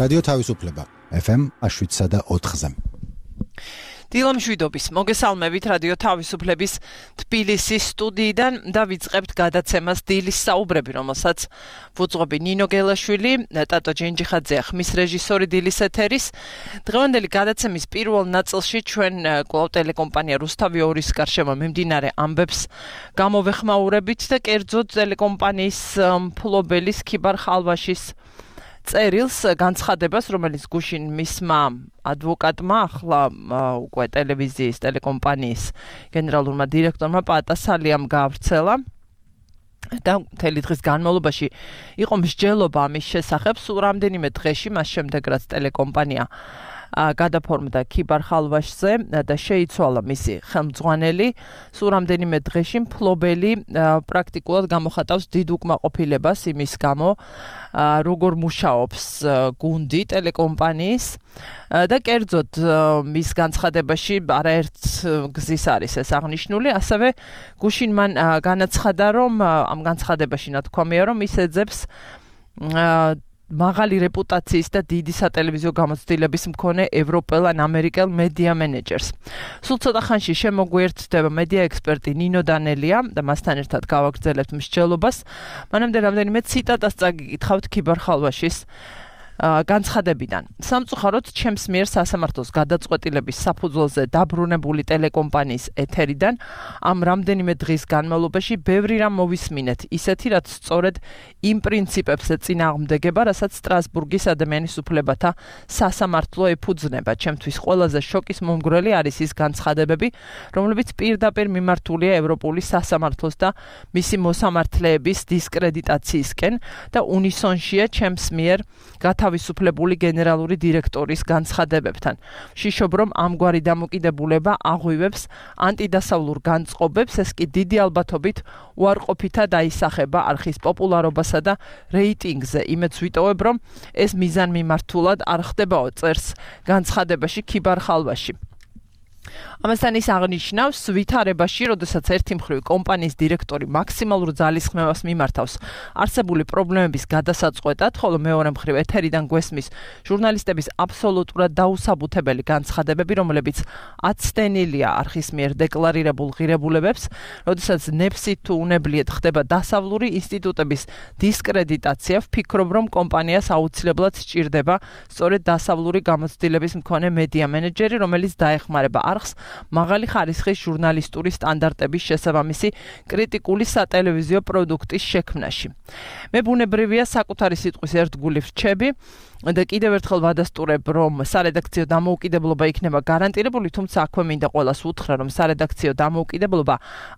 რადიო თავისუფლება FM 7.4-ზე. დილამშვიდობის მოგესალმებით რადიო თავისუფლების თბილისის სტუდიიდან და ვიწყებთ გადაცემას დილის საუბრები, რომელსაც ვუძღვები ნინო გელაშვილი, ტატო ჯენჯიხაძე, ხმის რეჟისორი დილის ეთერის. დღევანდელი გადაცემის პირველ ნაწილში ჩვენ კვლავ ტელეკომპანია რუსთავი 2-ის გარშემო მიმდინარე ამბებს გამოვეხმაურებით და კერძოდ ტელეკომპანიის მფლობელის ქიბარ ხალვაშის წერილს განცხადებას, რომელიც გუშინ მისმა ადვოკატმა, ახლა უკვე ტელევიზიის ტელეკომპანიის გენერალურმა დირექტორმა პატასალიამ გაავრცელა და მთელი დღის განმავლობაში იყო მსჯელობა ამის შესახებ. სულ რამდენიმე დღეში მას შემდეგ რაც ტელეკომპანია გადაფორმდა ქიბარ ხალვაშზე და შეიცვალა მისი ხელმძღვანელი, სულ რამდენიმე დღეში მფლობელი პრაქტიკულად გამოხატავს დიდ უკმაყოფილებას იმის გამო, როგორ მუშაობს გუნდი ტელეკომპანიის და კერძოდ მის განცხადებაში არაერთ გზის არის ეს აღნიშნული, ასევე გუშინ მან განაცხადა, რომ ამ განცხადებაში ნათქვამია, რომ ის ეძებს მაღალი რეპუტაციის და დიდი სატელევიზიო გამოცდილების მქონე ევროპელ ან ამერიკელ მედია მენეჯერს. სულ ცოტა ხანში შემოგვიერთდება მედია ექსპერტი ნინო დანელია და მასთან ერთად გავაგრძელებთ მსჯელობას. მანამდე რამდენიმე ციტატას წაგიკითხავთ ქიბარ ხალვაშის განცხადებიდან. სამწუხაროდ ჩემს მიერ სასამართლოს გადაწყვეტილების საფუძველზე დაბრუნებული ტელეკომპანიის ეთერიდან ამ რამდენიმე დღის განმავლობაში ბევრი რამ მოვისმინეთ, ისეთი რაც სწორედ იმ პრინციპებს ეწინააღმდეგება, რასაც სტრასბურგის ადამიანის უფლებათა სასამართლო ეფუძნება. ჩემთვის ყველაზე შოკის მომგვრელი არის ის განცხადებები, რომლებიც პირდაპირ მიმართულია ევროპული სასამართლოს და მისი მოსამართლეების დისკრედიტაციისკენ და უნისონშია ჩემს მიერ თავისუფლებული გენერალური დირექტორის განცხადებებთან. ვშიშობ, რომ ამგვარი დამოკიდებულება აღვივებს ანტიდასავლურ განწყობებს, ეს კი დიდი ალბათობით უარყოფითად აისახება არხის პოპულარობასა და რეიტინგზე. იმედს ვიტოვებ, რომ ეს მიზანმიმართულად არ ხდებაო, წერს განცხადებაში ქიბარ ხალვაში. ამასთან ის აღნიშნავს ვითარებაში, როდესაც ერთი მხრივ კომპანიის დირექტორი მაქსიმალურ ძალისხმევას მიმართავს არსებული პრობლემების გადასაწყვეტად, ხოლო მეორე მხრივ ეთერიდან გვესმის ჟურნალისტების აბსოლუტურად დაუსაბუთებელი განცხადებები, რომლებიც აცდენილია არხის მიერ დეკლარირებულ ღირებულებებს, როდესაც ნებსით თუ უნებლიეთ ხდება დასავლური ინსტიტუტების დისკრედიტაცია, ვფიქრობ, რომ კომპანიას აუცილებლად სჭირდება სწორედ დასავლური გამოცდილების მქონე მედია მენეჯერი, რომელიც დაეხმარება არხს მაღალი ხარისხის ჟურნალისტური სტანდარტების შესაბამისი კრიტიკული სატელევიზიო პროდუქტის შექმნაში. მე ბუნებრივია საკუთარი სიტყვის ერთგული ვრჩები და კიდევ ერთხელ ვადასტურებ, რომ სარედაქციო დამოუკიდებლობა იქნება გარანტირებული, თუმცა აქვე მინდა ყველას უთხრა, რომ სარედაქციო დამოუკიდებლობა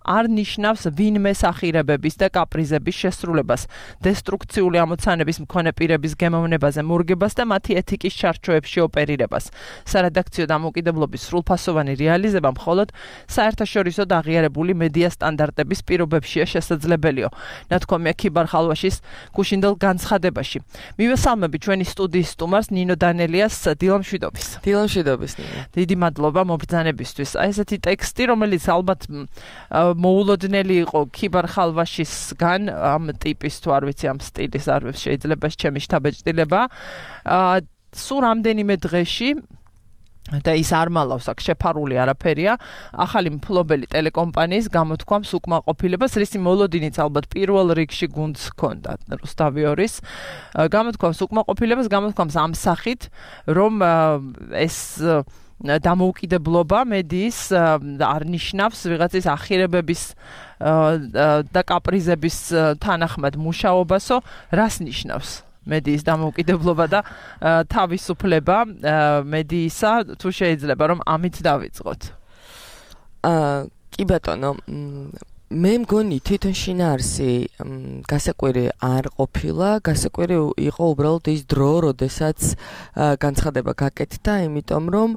არ ნიშნავს ვინმეს ახირებების და კაპრიზების შესრულებას, დესტრუქციული ამოცანების მქონე პირების გემოვნებაზე მორგებას და მათი ეთიკის ჩარჩოებში ოპერირებას. სარედაქციო დამოუკიდებლობის სრულფასოვანი რეალიზება მხოლოდ საერთაშორისო და აღიარებული მედია სტანდარტების პირობებშია შესაძლებელია. ნათქვამია ქიბარ ხალვაშის გუშინდელ განცხადებაში. მივესალმები ჩვენი სტუდიის სტუმარს ნინო დანელიას. დილამშვიდობის. დილამშვიდობის ნინო. დიდი მადლობა მობრძანებისთვის. აი ესეთი ტექსტი, რომელიც ალბათ მოულოდნელი იყო ქიბარ ხალვაშისგან, ამ ტიპის თუ არ ვიცი, ამ სტილის არ შეიძლება ჩემი შთაბეჭდილება. სულ რამდენიმე დღეში და ის არ მალავს აქ შეფარული არაფერია, ახალი მფლობელი ტელეკომპანიის გამოთქვამს უკმაყოფილებას, რისი მოლოდინიც ალბათ პირველ რიგში გუნდს ჰქონდა რუსთავი 2-ის. გამოთქვამს უკმაყოფილებას, გამოთქვამს ამ სახით, რომ ეს დამოუკიდებლობა მედიის არ ნიშნავს ვიღაცის ახირებების და კაპრიზების თანახმად მუშაობასო, რას ნიშნავს? მედიის დამოუკიდებლობა და თავისუფლება მედიისა, თუ შეიძლება რომ ამით დავიწყოთ. კი ბატონო, მე მგონი თვითონ შინაარსი გასაკვირი არ ყოფილა, გასაკვირი იყო უბრალოდ ის დრო, როდესაც განცხადება გაკეთდა, იმიტომ რომ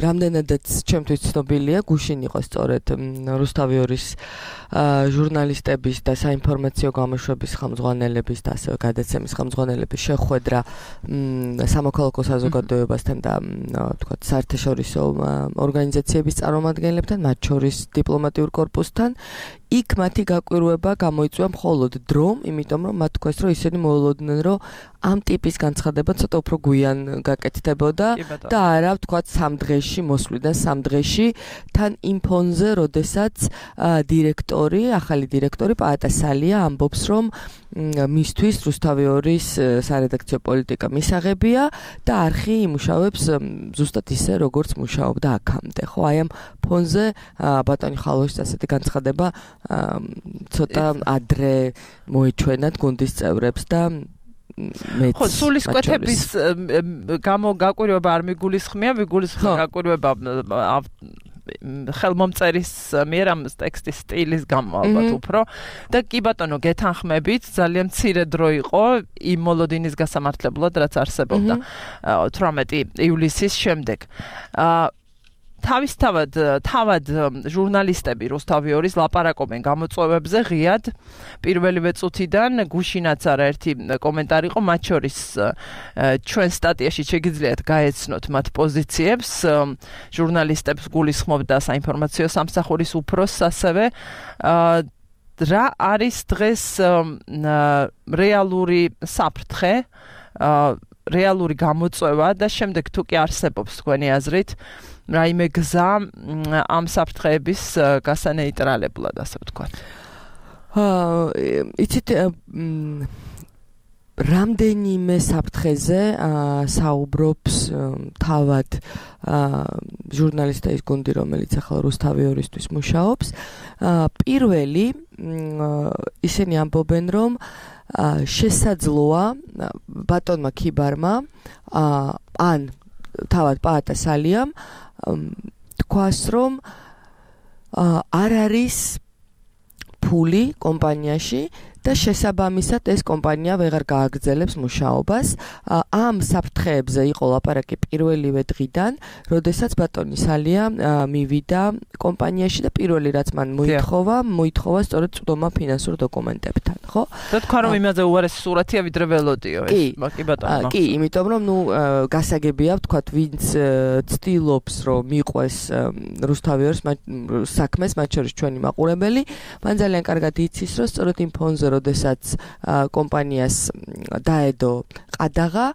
რამდენადაც ჩემთვის ცნობილია, გუშინ იყო სწორედ რუსთავი 2-ის ჟურნალისტების და საინფორმაციო გამოშვების ხელმძღვანელების და ასევე გადაცემის ხელმძღვანელების შეხვედრა სამოქალაქო საზოგადოებასთან და თქვათ საერთაშორისო ორგანიზაციების წარმომადგენლებთან, მათ შორის დიპლომატიურ კორპუსთან. იქ მათი გაკვირვება გამოიწვია მხოლოდ დრომ, იმიტომ რომ მათ თქვეს, რომ ისინი მოულოდნენ, რომ ამ ტიპის განცხადება ცოტა უფრო გვიან გაკეთდებოდა და არა, ვთქვათ, 3 დღეში მოსვლიდან 3 დღეში თან იმ ფონზე, როდესაც ახალი დირექტორი პაატა სალია ამბობს, რომ მისთვის რუსთავიორის სარედაქციო პოლიტიკა მისაღებია და არხი იმუშავებს ზუსტად ისე, როგორც მუშაობდა აქამდე. ხო, აი ამ ფონზე ბატონი ხალოშის ასეთი განცხადება ცოტა ადრე მოეჩვენათ გუნდის წევრებს და ხო, სულისკვეთების გაკვირვება არ მიგულისხმია, მიგულისხმია გაკვირვება ხელმომწერის მიერ ამ ტექსტის სტილის გამო ალბათ უფრო და კი ბატონო გეთანხმებით ძალიან მცირე დრო იყო იმ მოლოდინის გასამართლებლად რაც არსებობდა 18 ივლისის შემდეგ თავად ჟურნალისტები რუსთავიორის ლაპარაკობენ გამოწვევებზე ღიად პირველივე წუთიდან გუშინაც არაერთი კომენტარი იყო მათ შორის ჩვენ სტატიაში შეგიძლიათ გაეცნოთ მათ პოზიციებს ჟურნალისტებს გულისხმობდა საინფორმაციო სამსახურის უფროსს ასევე რა არის დღეს რეალური საფრთხე რეალური გამოწვევა და შემდეგ თუ კი არსებობს თქვენი აზრით რაიმე გზა ამ საფრთხეების გასანეიტრალებლად, ასე ვთქვათ. იცით რამდენიმე საფრთხეზე საუბრობს თავად ჟურნალისტების გუნდი, რომელიც ახლა რუსთავიორისთვის მუშაობს. პირველი ისინი ამბობენ, რომ შესაძლოა ბატონმა ქიბარმა ან თავად პაატა სალიამ თქვას, რომ არ არის ფული კომპანიაში და შესაბამისად ეს კომპანია ვეღარ გააგრძელებს მუშაობას. ამ საფრთხეებზე იყო ლაპარაკი პირველივე დღიდან, როდესაც ბატონი სალია მივიდა კომპანიაში და პირველი რაც მან მოითხოვა სწორედ წვდომა ფინანსურ დოკუმენტებთან, ხო? და თქვა რომ იმაზე უარესი სურათია ვიდრე ველოდიო ეს, კი ბატონო. კი, იმიტომ რომ გასაგებია ვთქვათ, ვინც ცდილობს რომ მიყვეს რუსთავიორს საქმეს, მათ შორის ჩვენი მაყურებელი, მან ძალიან კარგად იცის, რომ სწორედ იმ ფონზე როდესაც კომპანიას დაედო ყადაღა,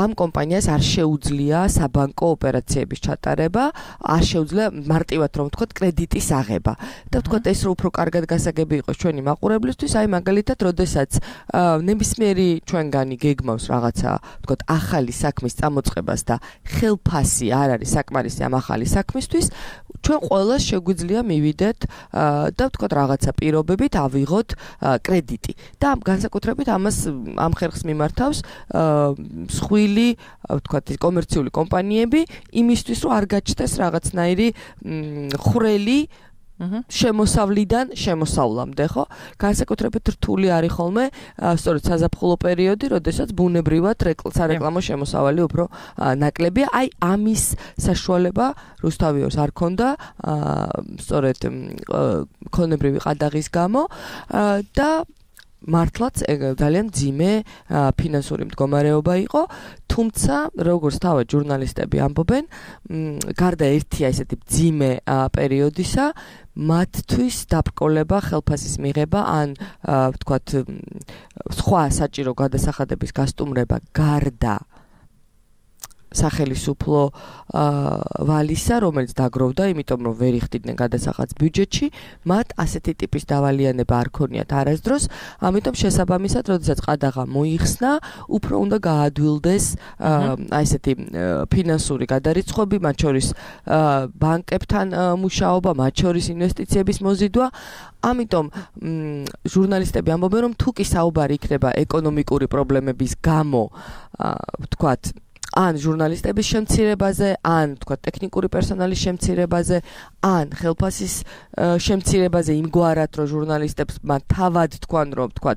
ამ კომპანიას არ შეუძლია საბანკო ოპერაციების ჩატარება, არ შეუძლია მარტივად რომ ვთქვათ კრედიტის აღება. და ვთქვათ ეს უფრო კარგად გასაგები იყოს ჩვენი მაყურებლისთვის, აი მაგალითად, როდესაც ნებისმიერი ჩვენგანი გეგმავს რაღაცა, ვთქვათ, ახალი საქმის წამოწყებას და ხელფასი არ არის საკმარისი ამ ახალი საქმისთვის, ჩვენ ყველას შეგვიძლია მივიდეთ და ვთქვათ რაღაცა პირობებით ავიღოთ კრედიტი. და განსაკუთრებით ამას ამ ხერხს მიმართავს მსხვილი, ვთქვათ, კომერციული კომპანიები იმისთვის, რომ არ გაჩნდეს რაღაცნაირი ხრელი შემოსავლიდან შემოსავლამდე, ხო? განსაკუთრებით რთული არის ხოლმე სწორედ საზაფხულო პერიოდი, როდესაც ბუნებრივად სარეკლამო შემოსავალი უფრო ნაკლებია. აი ამის საშუალება რუსთავიორს არ ქონდა სწორედ ქონებრივი ყადაღის გამო და მართლაც ძალიან ძიმე ფინანსური მდგომარეობა იყო, თუმცა როგორც თავად ჟურნალისტები ამბობენ, გარდა ერთი ესეთი ძიმე პერიოდისა, მათთვის დაბრკოლება, ხელფასის მიღება ან ვთქვათ სხვა საჭირო გადასახადების გასტუმრება გარდა სახელისუფლო ვალისა, რომელიც დაგროვდა, იმიტომ რომ ვერ იხდიდნენ გადასახადს ბიუჯეტში, მათ ასეთი ტიპის დავალიანება არ ქონიათ არასდროს, ამიტომ შესაბამისად, როდესაც ყადაღა მოიხსნა, უფრო უნდა გაადვილდეს აი ესეთი ფინანსური გადარიცხვები, მათ შორის ბანკებთან მუშაობა, მათ შორის ინვესტიციების მოზიდვა. ამიტომ ჟურნალისტები ამბობენ, რომ თუ კი საუბარი იქნება ეკონომიკური პრობლემების გამო, ვთქვათ, ან ჟურნალისტების შემცირებაზე, ან თქვა ტექნიკური პერსონალის შემცირებაზე, ან ხელფასის შემცირებაზე იმგვარად, რომ ჟურნალისტებს თავად თქვან, რომ თქვა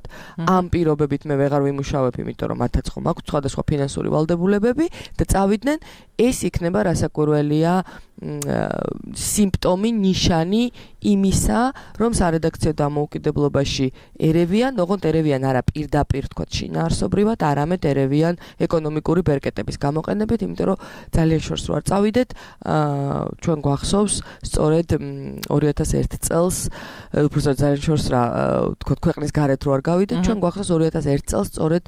ამ პირობებით მე ვეღარ ვიმუშავებ, იმიტომ რომ მათაც ხომ აქვს სხვადასხვა ფინანსური ვალდებულებები და წავიდნენ, ეს იქნება რასაკვირველია სიმპტომი, ნიშანი იმისა, რომ სარედაქციო დამოუკიდებლობაში ერევიან, ოღონდ ერევიან არა პირდაპირ თქვა შინაარსობრივად, არამედ ერევიან ეკონომიკური ბერკეტების გამოყენებით, იმიტომ რომ ძალიან შორს ვარ წავიდეთ, ჩვენ გვახსოვს სწორედ 2001 წელს უბრალოდ ძალიან შორს რა თქო ქვეყნის გარეთ რო არ გავიდეთ ჩვენ გვახსოვს 2001 წელს სწორედ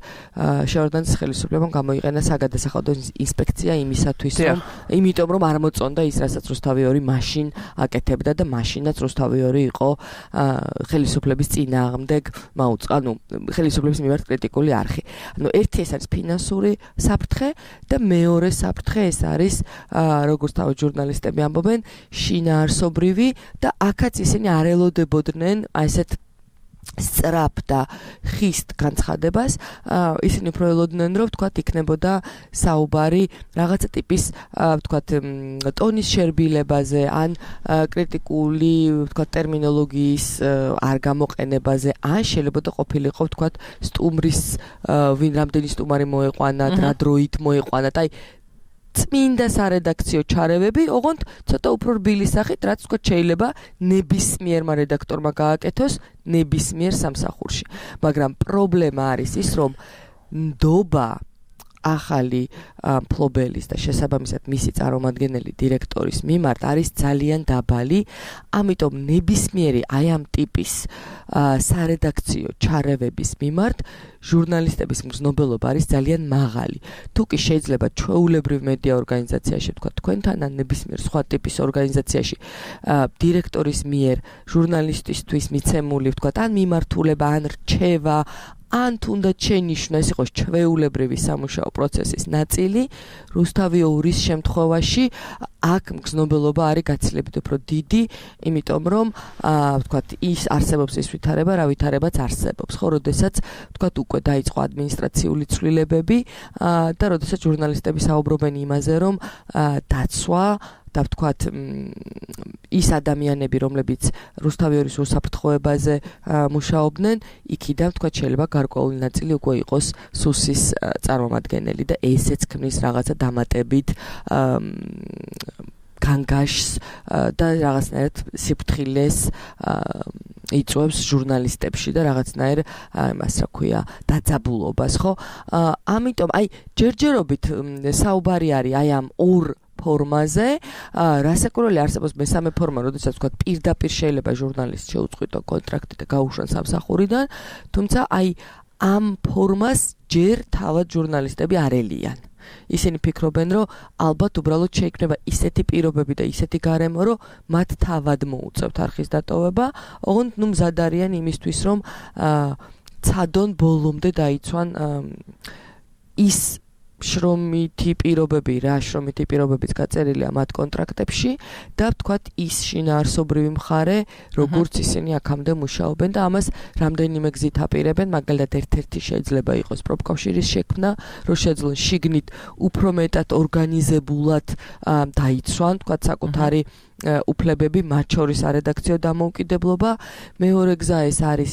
შეორდანცის ხელისუფლებამ გამოიყენა საგადასახადო ინსპექცია იმისათვის რომ იმიტომ რომ არ მოწონდა ის რასაც რუსთავი 2 მაშინ აკეთებდა და მაშინაც რუსთავი 2 იყო ხელისუფლების წინააღმდეგ ანუ ხელისუფლების მიმართ კრიტიკული არხი. ანუ ერთი ეს არის ფინანსური საფრთხე და მეორე საფრთხე ეს არის როგორც თავი ჟურნალისტები ამბობენ შინაარსობრივი და აქაც ისინი არ ელოდებოდნენ ესეთ სწრაფ და ხისტ განცხადებას ისინი უფრო ელოდნენ რომ თქვათ იქნებოდა საუბარი რაღაცა ტიპის თქვათ ტონის შერბილებაზე ან კრიტიკული თქვათ ტერმინოლოგიის არ გამოყენებაზე ან შეიძლება ყოფილიყო თქვათ სტუმრის ვინ რამდენი სტუმარი მოეყვანა რა დროით მოეყვანა და წმინდა სარედაქციო ჩარევები, ოღონდ ცოტა უფრო რბილი სახით, რაც თქვა შეიძლება ნებისმიერმა რედაქტორმა გააკეთოს ნებისმიერ სამსახურში. მაგრამ პრობლემა არის ის, რომ ნდობა ახალი მფლობელის და შესაბამისად მისი წარმომადგენელი დირექტორის მიმართ არის ძალიან დაბალი, ამიტომ ნებისმიერი აი ამ ტიპის სარედაქციო ჩარევების მიმართ ჟურნალისტების მგზნობელობა არის ძალიან მაღალი. თუ კი შეიძლება ჩვეულებრივ მედია ორგანიზაციაში თქვა თქვენთან ან ნებისმიერ სხვა ტიპის ორგანიზაციაში დირექტორის მიერ ჟურნალისტისთვის მიცემული თქვა ან მიმართულება ან რჩევა ან თუნდაც შენიშვნა ეს იყოს ჩვეულებრივი სამუშაო პროცესის ნაწილი, რუსთავი 2-ის შემთხვევაში აქ მგზნობელობა არის გაცილებით უფრო დიდი, იმიტომ რომ ვთქვათ ის არსებობს ის ვითარება, რა ვითარებაც არსებობს. ხო, როდესაც ვთქვათ უკვე დაიწყო ადმინისტრაციული ცვლილებები და როდესაც ჟურნალისტები საუბრობენ იმაზე, რომ დაცვა და ვთქვათ ის ადამიანები, რომლებიც რუსთავი 2-ის უსაფრთხოებაზე მუშაობდნენ, იქიდან ვთქვათ შეიძლება გარკვეული ნაწილი უკვე იყოს სუსის წარმომადგენელი და ესეც ქმნის რაღაცა დამატებით განგაშს და რაღაცნაირად სიფრთხილეს იწვევს ჟურნალისტებში და რაღაცნაირ იმას რა ქვია დაძაბულობას, ხო? ამიტომ აი ჯერჯერობით საუბარი არის აი ამ ორ ფორმაზე, რასაკვირველი არსებობს მესამე ფორმა, როდესაც ვთქვათ პირდაპირ შეიძლება ჟურნალისტს შეუწყვიტო კონტრაქტი და გაუშვან სამსახურიდან, თუმცა აი ამ ფორმას ჯერ თავად ჟურნალისტები არ ელიან. ისინი ფიქრობენ, რომ ალბათ უბრალოდ შეიქმნება ისეთი პირობები და ისეთი გარემო, რომ მათ თავად მოუწევთ არხის დატოვება, ოღონდ ნუ მზად არიან იმისთვის, რომ ცადონ ბოლომდე დაიცვან ის შრომითი პირობები, რა შრომითი პირობებიც გაწერილია მათ კონტრაქტებში და ვთქვათ ის შინაარსობრივი მხარე, როგორც ისინი აქამდე მუშაობენ და ამას რამდენიმე გზით აპირებენ, მაგალითად ერთ-ერთი შეიძლება იყოს პროფკავშირის შექმნა, რომ შეძლონ შიგნით უფრო მეტად ორგანიზებულად დაიცვან, ვთქვათ საკუთარი უფლებები, მათ შორის არედაქციო დამოუკიდებლობა. მეორე გზა ეს არის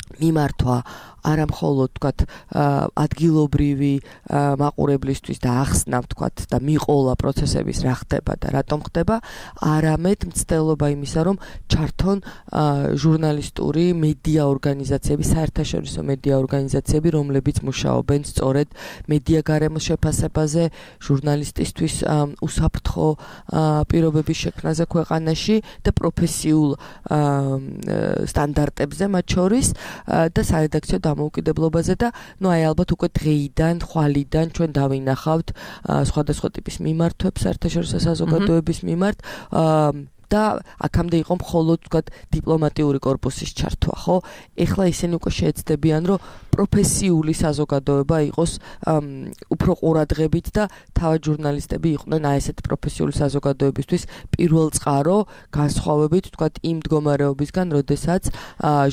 მიმართვა არა მხოლოდ ვთქვათ ადგილობრივი მაყურებლისთვის და ახსნა ვთქვათ და მიყოლა პროცესების რა ხდება და რატომ ხდება, არამედ მცდელობა იმისა, რომ ჩართონ ჟურნალისტური მედია ორგანიზაციები, საერთაშორისო მედია ორგანიზაციები, რომლებიც მუშაობენ სწორედ მედია გარემოს შეფასებაზე, ჟურნალისტისთვის უსაფრთხო პირობების შექმნაზე ქვეყანაში და პროფესიულ სტანდარტებზე მათ შორის და სარედაქციო დამოუკიდებლობაზე და ნუ აი ალბათ უკვე დღეიდან, ხვალიდან ჩვენ დავინახავთ სხვადასხვა ტიპის მიმართვებს საერთაშორისო საზოგადოების მიმართ და აქამდე იყო მხოლოდ ვთქვათ დიპლომატიური კორპუსის ჩართვა, ხო? ეხლა ისინი უკვე შეეცდებიან, რომ პროფესიული საზოგადოება იყოს უფრო ყურადღებით და თავად ჟურნალისტები იყვნენ აი ესეთი პროფესიული საზოგადოებისთვის პირველწყარო განსხვავებით ვთქვათ იმ მდგომარეობისგან, როდესაც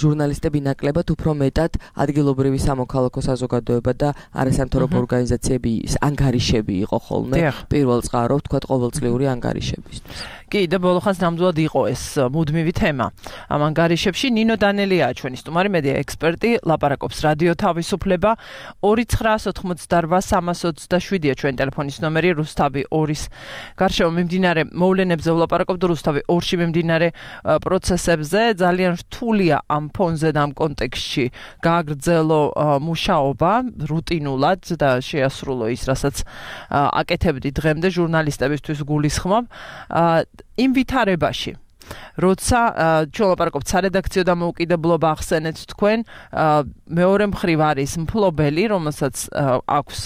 ჟურნალისტები ნაკლებად უფრო მეტად ადგილობრივი სამოქალაქო საზოგადოება და არასამთავრობო ორგანიზაციები ანგარიშები იყო ხოლმე პირველწყარო ვთქვათ ყოველწლიური ანგარიშებისთვის. კი, და ბოლოხანს ნამდვილად იყო ეს მუდმივი თემა. ამ ანგარიშებში ნინო დანელიაა ჩვენი სტუმარი, მედია ექსპერტი, ლაპარაკობს რადიო თავისუფლება 2988327-ია ჩვენი ტელეფონის ნომერი, რუსთავი 2-ის გარშემო მიმდინარე მოვლენებზე ვლაპარაკობთ, რუსთავი 2-ში მიმდინარე პროცესებზე. ძალიან რთულია ამ ფონზე და ამ კონტექსტში გააგრძელო მუშაობა რუტინულად და შეასრულო ის, რასაც აკეთებდი დღემდე ჟურნალისტებისთვის გულისხმობ. იმ ვითარებაში როცა ჩვენ ლაპარაკობთ სარედაქციო დამოუკიდებლობა ახსენეთ თქვენ მეორე მხრივ არის მფლობელი რომელსაც აქვს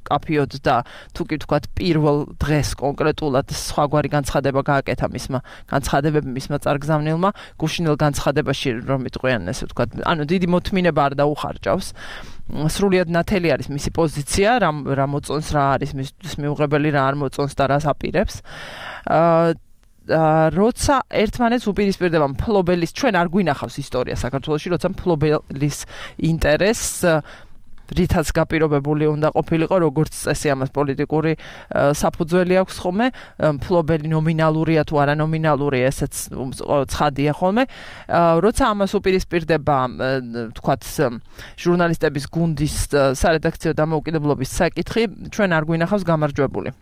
კაფიოდ და თუ კი ვთქვათ პირველ დღეს კონკრეტულად სხვაგვარი განცხადება გააკეთა მისმა განცხადებები მისმა წარგზავნილმა გუშინელ განცხადებაში რომ იტყვიან ესე ვთქვათ ანუ დიდი მოთმინება არ დაუხარჯავს სრულიად ნათელი არის მისი პოზიცია რა მოწონს რა არის მისთვის მიუღებელი რა არ მოწონს და რას აპირებს როცა ერთმანეთს უპირისპირდება მფლობელის ჩვენ არ გვინახავს ისტორია საქართველოში როცა მფლობელის ინტერესს რითაც გაპირობებული უნდა ყოფილიყო როგორც წესი ამას პოლიტიკური საფუძველი აქვს ხოლმე მფლობელი ნომინალურია თუ არა ნომინალურია ესეც ცხადია ხოლმე როცა ამას უპირისპირდება თქვათ ჟურნალისტების გუნდის სარედაქციო დამოუკიდებლობის საკითხი ჩვენ არ გვინახავს გამარჯვებული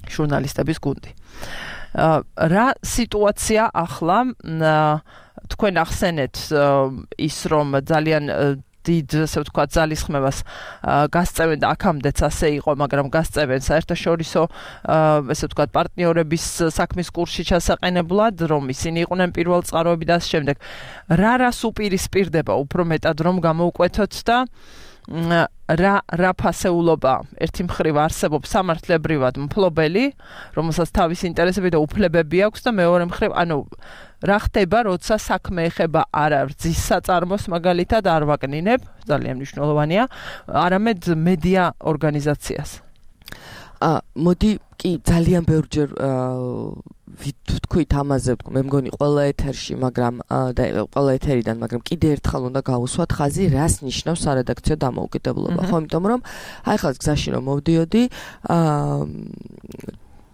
ჟურნალისტების გუნდი რა სიტუაცია ახლა თქვენ ახსენეთ ის რომ ძალიან დიდ ასე ვთქვათ ძალისხმევას გასწევენ და აქამდეც ასე იყო მაგრამ გასწევენ საერთაშორისო ასე ვთქვათ პარტნიორების საქმის კურსში ჩასაყენებლად რომ ისინი იყვნენ პირველ წყაროები და ამ შემდეგ რას უპირისპირდება უფრო მეტად რომ გამოვკვეთოთ და რა ფასეულობა ერთი მხრივ არსებობს სამართლებრივად მფლობელი, რომელსაც თავის ინტერესები და უფლებები აქვს და მეორე მხრივ, ანუ რა ხდება, როცა საქმე ეხება არა რძის საწარმოს მაგალითად არ ვაკნინებ, ძალიან მნიშვნელოვანია, არამედ მედია ორგანიზაციას. მოდი კი ძალიან ბევრჯერ ვთქვით ამაზე, მე მგონი ყველა ეთერში, მაგრამ და ყველა ეთერიდან, მაგრამ კიდე ერთხელ უნდა გავუსვათ ხაზი, რას ნიშნავს სარედაქციო დამოუკიდებლობა, ხო, იმიტომ რომ აი ხალხს გზაში რომ მოვდიოდი,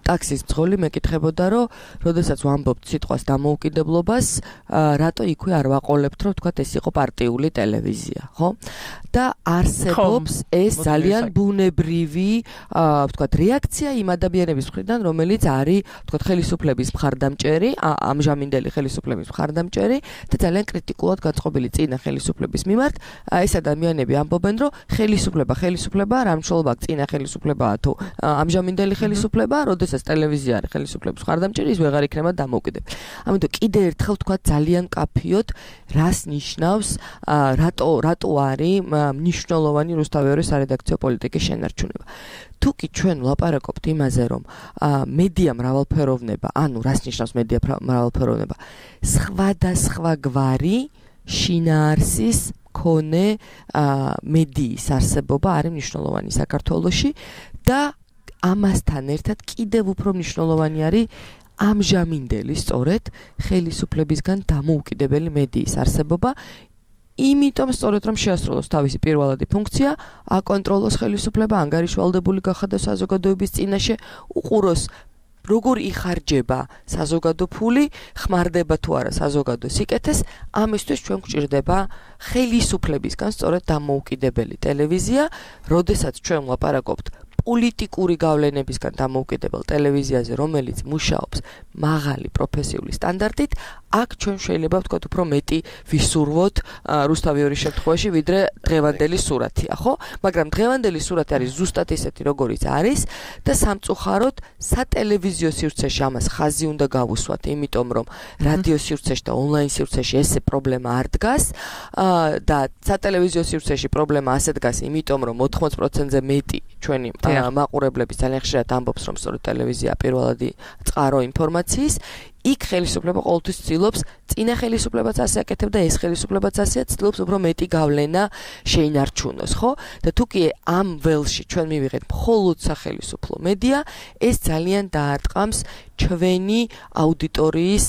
ტაქსის მძღოლი მეკითხებოდა, რომ როდესაც ვამბობთ სიტყვას დამოუკიდებლობას, რატო იქვე არ ვაყოლებთ, რომ თქვათ ეს იყო პარტიული ტელევიზია, ხო? და არსებობს ეს ძალიან ბუნებრივი, ვთქვათ, რეაქცია იმ ადამიანების მხრიდან, რომელიც არის, ვთქვათ, ხელისუფლების მხარდამჭერი, ამჟამინდელი ხელისუფლების მხარდამჭერი და ძალიან კრიტიკულად გაწყობილი წინა ხელისუფლების მიმართ, ეს ადამიანები ამბობენ, რომ ხელისუფლება, რა მნიშვნელობა აქვს წინა ხელისუფლებაა თუ ამჟამინდელი ხელისუფლება, როდესაც ტელევიზია არის ხელისუფლების მხარდამჭერი, ის ვეღარ იქნება დამოუკიდებელი. ამიტომ კიდე ერთხელ ვთქვათ ძალიან კაფიოდ, რას ნიშნავს, რატო არის მნიშვნელოვანი რუსთავიორის სარედაქციო პოლიტიკის შენარჩუნება. თუ კი ჩვენ ვლაპარაკობთ იმაზე, რომ მედია მრავალფეროვნება, ანუ რას ნიშნავს მედია მრავალფეროვნება, სხვადასხვა გვარი შინაარსის მქონე მედიის არსებობა არის მნიშვნელოვანი საქართველოში და ამასთან ერთად კიდევ უფრო მნიშვნელოვანი არის ამჟამინდელი სწორედ ხელისუფლებისგან დამოუკიდებელი მედიის არსებობა. იმიტომ სწორედ რომ შეასრულოს თავისი პირველადი ფუნქცია, აკონტროლოს ხელისუფლება, ანგარიშვალდებული გახადოს საზოგადოების წინაშე, უყუროს როგორ იხარჯება საზოგადო ფული, ხმარდება თუ არა საზოგადო სიკეთეს, ამისთვის ჩვენ გვჭირდება ხელისუფლებისგან სწორედ დამოუკიდებელი ტელევიზია, როდესაც ჩვენ ვლაპარაკობთ პოლიტიკური გავლენებისგან დამოუკიდებელ ტელევიზიაზე, რომელიც მუშაობს მაღალი პროფესიული სტანდარტით, აქ ჩვენ შეიძლება ვთქვათ უფრო მეტი ვისურვოთ რუსთავიორის შემთხვევაში, ვიდრე დღევანდელი სურათია, ხო? მაგრამ დღევანდელი სურათი არის ზუსტად ისეთი, როგორიც არის და სამწუხაროდ სატელევიზიო სივრცეში ამას ხაზი უნდა გავუსვათ, იმიტომ რომ რადიო სივრცეში და ონლაინ სივრცეში ესე პრობლემა არ დგას და სატელევიზიო სივრცეში პრობლემა ასე დგას, იმიტომ რომ 80%-ზე მეტი ჩვენი მაყურებლები ძალიან ხშირად ამბობს, რომ სწორედ ტელევიზია პირველადი წყარო ინფორმაციის, იქ ხელისუფლება ყოველთვის ცდილობს, წინა ხელისუფლებაც ასე აკეთებდა, ეს ხელისუფლებაც ასეა, ცდილობს უფრო მეტი გავლენა შეინარჩუნოს, ხო? და თუ კი ამ ველში ჩვენ მივიღეთ მხოლოდ სახელისუფლო მედია, ეს ძალიან დაარტყამს ჩვენი აუდიტორიის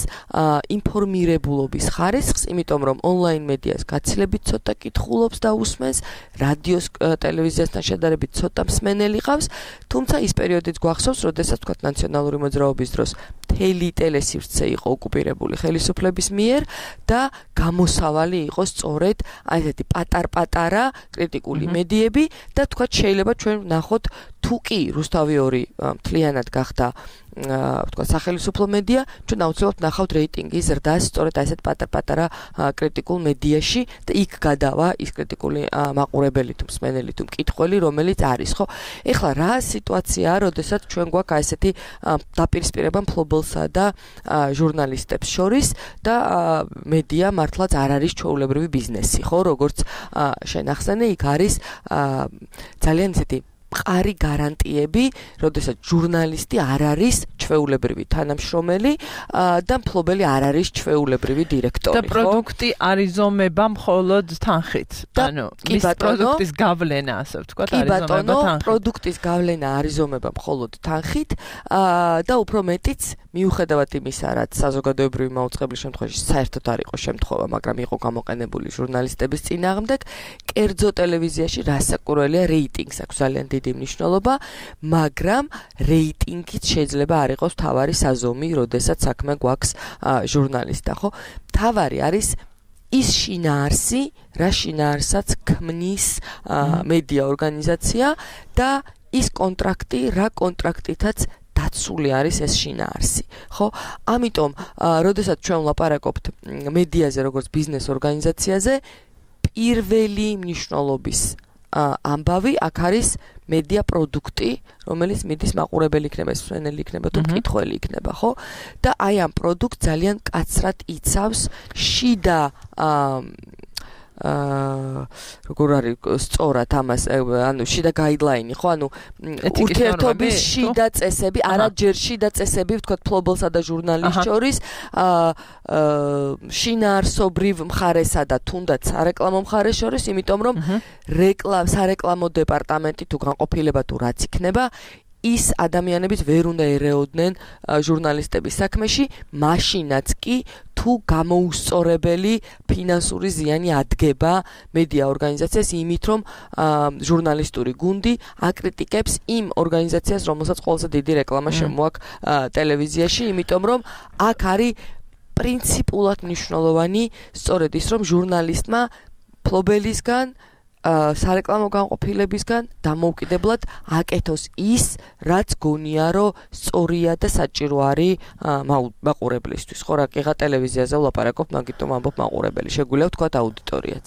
ინფორმირებულობის ხარისხს, იმიტომ რომ ონლაინ მედიას გაცილებით ცოტა კითხულობს და უსმენს, რადიოს ტელევიზიასთან შედარებით ცოტა მსმენელი ყავს, თუმცა ის პერიოდიც გვახსოვს, როდესაც თქვათ ნაციონალური მოძრაობის დროს მთელი ტელესივრცე იყო ოკუპირებული ხელისუფლების მიერ და გამოსავალი იყო სწორედ აი ესეთი პატარ-პატარა კრიტიკული მედიები და თქვათ შეიძლება ჩვენ ვნახოთ თუ კი რუსთავიორი მთლიანად გახდა ვთქვა სახელმწიფო მედია, ჩვენ აუცილებლად ნახავთ რეიტინგის ზრდას სწორედ ასეთ პატარ-პატარა კრიტიკულ მედიაში და იქ გადავა ის კრიტიკული მაყურებელი თუ მსმენელი თუ მკითხველი, რომელიც არის, ხო? ეხლა რა სიტუაციაა, როდესაც ჩვენ გვაქვს ასეთი დაპირისპირება მფლობელსა და ჟურნალისტებს შორის და მედია მართლაც არ არის ჩვეულებრივი ბიზნესი, ხო? როგორც შენ ახსენე, იქ არის ძალიან ისეთი მყარი გარანტიები, როდესაც ჟურნალისტი არ არის ჩვეულებრივი თანამშრომელი და მფლობელი არ არის ჩვეულებრივი დირექტორი, ხო? და პროდუქტი არიზომება მხოლოდ თანხით. ანუ ის პროდუქტის გავლენა, ასე ვთქვათ, არიზომება თანხით. პროდუქტის გავლენა არიზომება მხოლოდ თანხით და უფრო მეტიც მიუხედავად იმისა, რაც საზოგადოებრივი მაუწყებლის შემთხვევაში საერთოდ არ იყო შემთხვევა, მაგრამ იყო გამოყენებული ჟურნალისტების წინააღმდეგ, კერძო ტელევიზიაში რასაკვირველია რეიტინგს აქვს ძალიან დიდი მნიშვნელობა, მაგრამ რეიტინგით შეიძლება არ იყოს თავარი საზომი, როდესაც საქმე გვაქვს ჟურნალისტთან, ხო? თავარი არის ის შინაარსი, რა შინაარსაც ქმნის მედია ორგანიზაცია და ის კონტრაქტი, რა კონტრაქტითაც დაცული არის ეს შინაარსი, ხო? ამიტომ, როდესაც ჩვენ ვლაპარაკობთ მედიაზე როგორც ბიზნეს ორგანიზაციაზე, პირველი მნიშვნელობის ამბავი აქ არის მედია პროდუქტი, რომელიც მიდის მაყურებელი იქნება, მსმენელი იქნება თუ მკითხველი იქნება, ხო? და აი ამ პროდუქტს ძალიან კაცრად იცავს შიდა როგორ არის სწორად ამას, ანუ შიდა გაიდლაინი, ხო? ანუ ურთიერთობის შიდა წესები, არა ჯერ შიდა წესები, ვთქვათ, მფლობელსა და ჟურნალისტს შორის, შინაარსობრივ მხარესა და თუნდაც სარეკლამო მხარეს შორის, იმიტომ რომ სარეკლამო დეპარტამენტი თუ განყოფილება თუ რაც იქნება, ის ადამიანებიც ვერ უნდა ერეოდნენ ჟურნალისტების საქმეში, მაშინაც კი თუ გამოუსწორებელი ფინანსური ზიანი ადგება მედია ორგანიზაციას იმით, რომ ჟურნალისტური გუნდი აკრიტიკებს იმ ორგანიზაციას, რომელსაც ყველაზე დიდი რეკლამა შემოაქვს ტელევიზიაში, იმიტომ რომ აქ არის პრინციპულად მნიშვნელოვანი სწორედ ის, რომ ჟურნალისტმა მფლობელისგან სარეკლამო განყოფილებისგან დამოუკიდებლად აკეთოს ის, რაც გონია, რომ სწორია და საჭირო არის მაყურებლისთვის. ხო, რაკიღა ტელევიზიაზე ვლაპარაკობ, მაგიტომ ამბობ მაყურებელი. შეგვიძლია ვთქვათ აუდიტორიაც.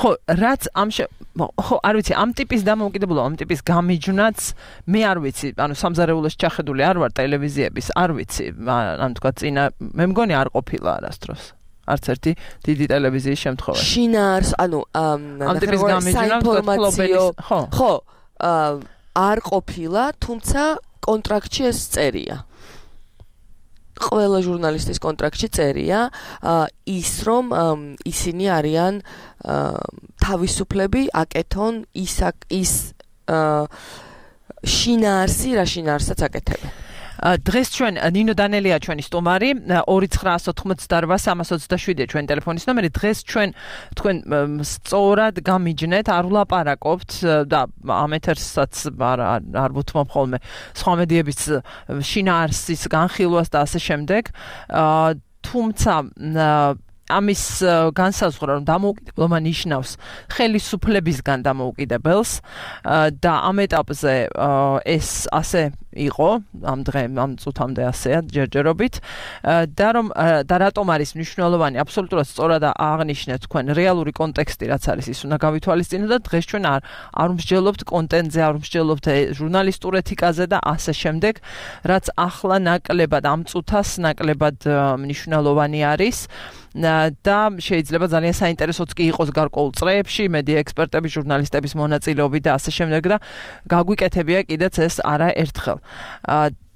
ხო, რაც ხო, არ ვიცი, ამ ტიპის დამოუკიდებლობა, ამ ტიპის გამიჯვნაც მე არ ვიცი, ანუ სამზარეულოში ჩახედული არ ვარ ტელევიზიების, არ ვიცი, ანუ თქვა წინა, მე მგონი არ ყოფილა არასდროს. არც ერთი დიდი ტელევიზიის შემთხვევაში. შინაარს, ანუ ამ ტიპის გამიჯვნა, ხო, არ ყოფილა, თუმცა კონტრაქტში ეს წერია. ყველა ჟურნალისტის კონტრაქტში წერია ის, რომ ისინი არიან თავისუფლები აკეთონ ის შინაარსი, რა შინაარსაც აკეთებენ. დღეს ჩვენ ნინო დანელია ჩვენი სტუმარი 2988-327 ჩვენ ტელეფონის ნომერი. დღეს ჩვენ თქვენ სწორად გამიჯნეთ, არ ვლაპარაკობთ და ამ ეთერსაც არ ვუთმობ ხოლმე სხვა მედიების შინაარსის განხილვას და ასე შემდეგ. თუმცა ამის განსაზღვრა, რომ დამოუკიდებლობა ნიშნავს ხელისუფლებისგან დამოუკიდებელს და ამ ეტაპზე ეს ასე იყო, ამ წუთამდე ასეა ჯერჯერობით და რატომ არის მნიშვნელოვანი, აბსოლუტურად სწორად აღნიშნეთ თქვენ რეალური კონტექსტი, რაც არის, ის უნდა გავითვალისწინოთ და დღეს ჩვენ არ მსჯელობთ კონტენტზე, არ მსჯელობთ ჟურნალისტურ ეთიკაზე და ასე შემდეგ, რაც ახლა ნაკლებად ამ წუთას ნაკლებად მნიშვნელოვანი არის. და შეიძლება ძალიან საინტერესოც კი იყოს გარკვეულ წრეებში, მედია ექსპერტების, ჟურნალისტების მონაწილეობით და ასე შემდეგ და გაგვიკეთებია კიდეც ეს არა ერთხელ.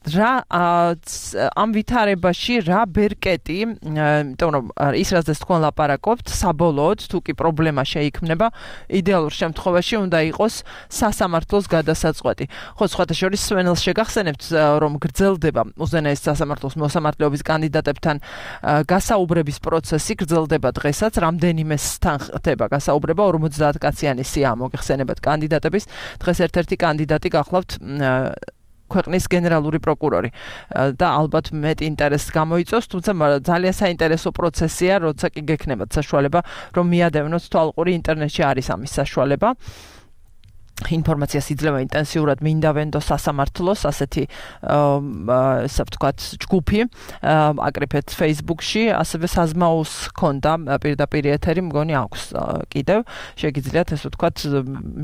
რა ამ ვითარებაში რა ბერკეტი, იმიტომ რომ ის რაზეც თქვენ ლაპარაკობთ, საბოლოოდ თუ კი პრობლემა შეიქმნება, იდეალურ შემთხვევაში უნდა იყოს სასამართლოს გადასაწყვეტი. ხო, სხვათა შორის სვენელს შეგახსენებთ, რომ გრძელდება უზენაეს სასამართლოს მოსამართლეობის კანდიდატებთან გასაუბრების პროცესი, გრძელდება დღესაც, რამდენიმესთან ხდება გასაუბრება, 50 კაციანი სია მოგეხსენებათ კანდიდატების. დღეს ერთ-ერთი კანდიდატი გახლავთ ქვეყნის გენერალური პროკურორი და ალბათ მეტ ინტერესს გამოიწვევს, თუმცა ძალიან საინტერესო პროცესია, როცა კი გექნებათ საშუალება, რომ მიადევნოთ თვალყური, ინტერნეტში არის ამის საშუალება. ინფორმაციას იძლევა ინტენსიურად მინდა ვენდო სასამართლოს ასეთი ასე ვთქვათ ჯგუფი აკრიფეთ Facebook-ში ასევე საზმაუს ქონდა პირდაპირ ეთერი მგონი აქვს კიდევ შეგიძლიათ ესე ვთქვათ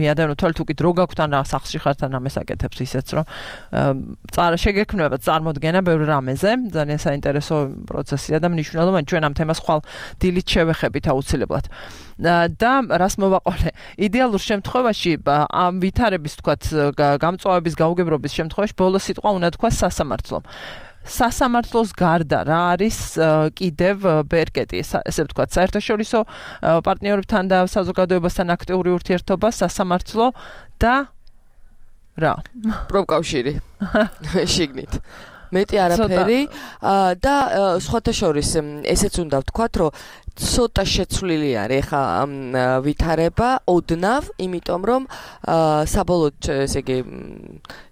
მიადანო თვალ თუ კიდე რო გაქვთ ან სახლში ხართ ან ამას აკეთებს ისეც რომ შეგექმნება წარმოდგენა ბევრ რამეზე ძალიან საინტერესო პროცესია და მნიშვნელოვანი ჩვენ ამ თემას ხვალ დილით შევეხებით აუცილებლად და რას მოვაყოლე იდეალურ შემთხვევაში ამ ვითარების თქვათ გამწვავების გაუგებრობის შემთხვევაში ბოლო სიტყვა უნდა თქვა სასამართლომ სასამართლოს გარდა რა არის კიდევ ბერკეტი ესე ვთქვათ საერთაშორისო პარტნიორებთან და საზოგადოებასთან აქტიური ურთიერთობა სასამართლო და რა პროფკავშირი შიგნით მეტი არაფერი და სხვათა შორის ესეც უნდა ვთქვათ რომ ცოტა შეცვლილი არის ხა ვითარება ოდნავ იმიტომ რომ საბოლოოდ ესე იგი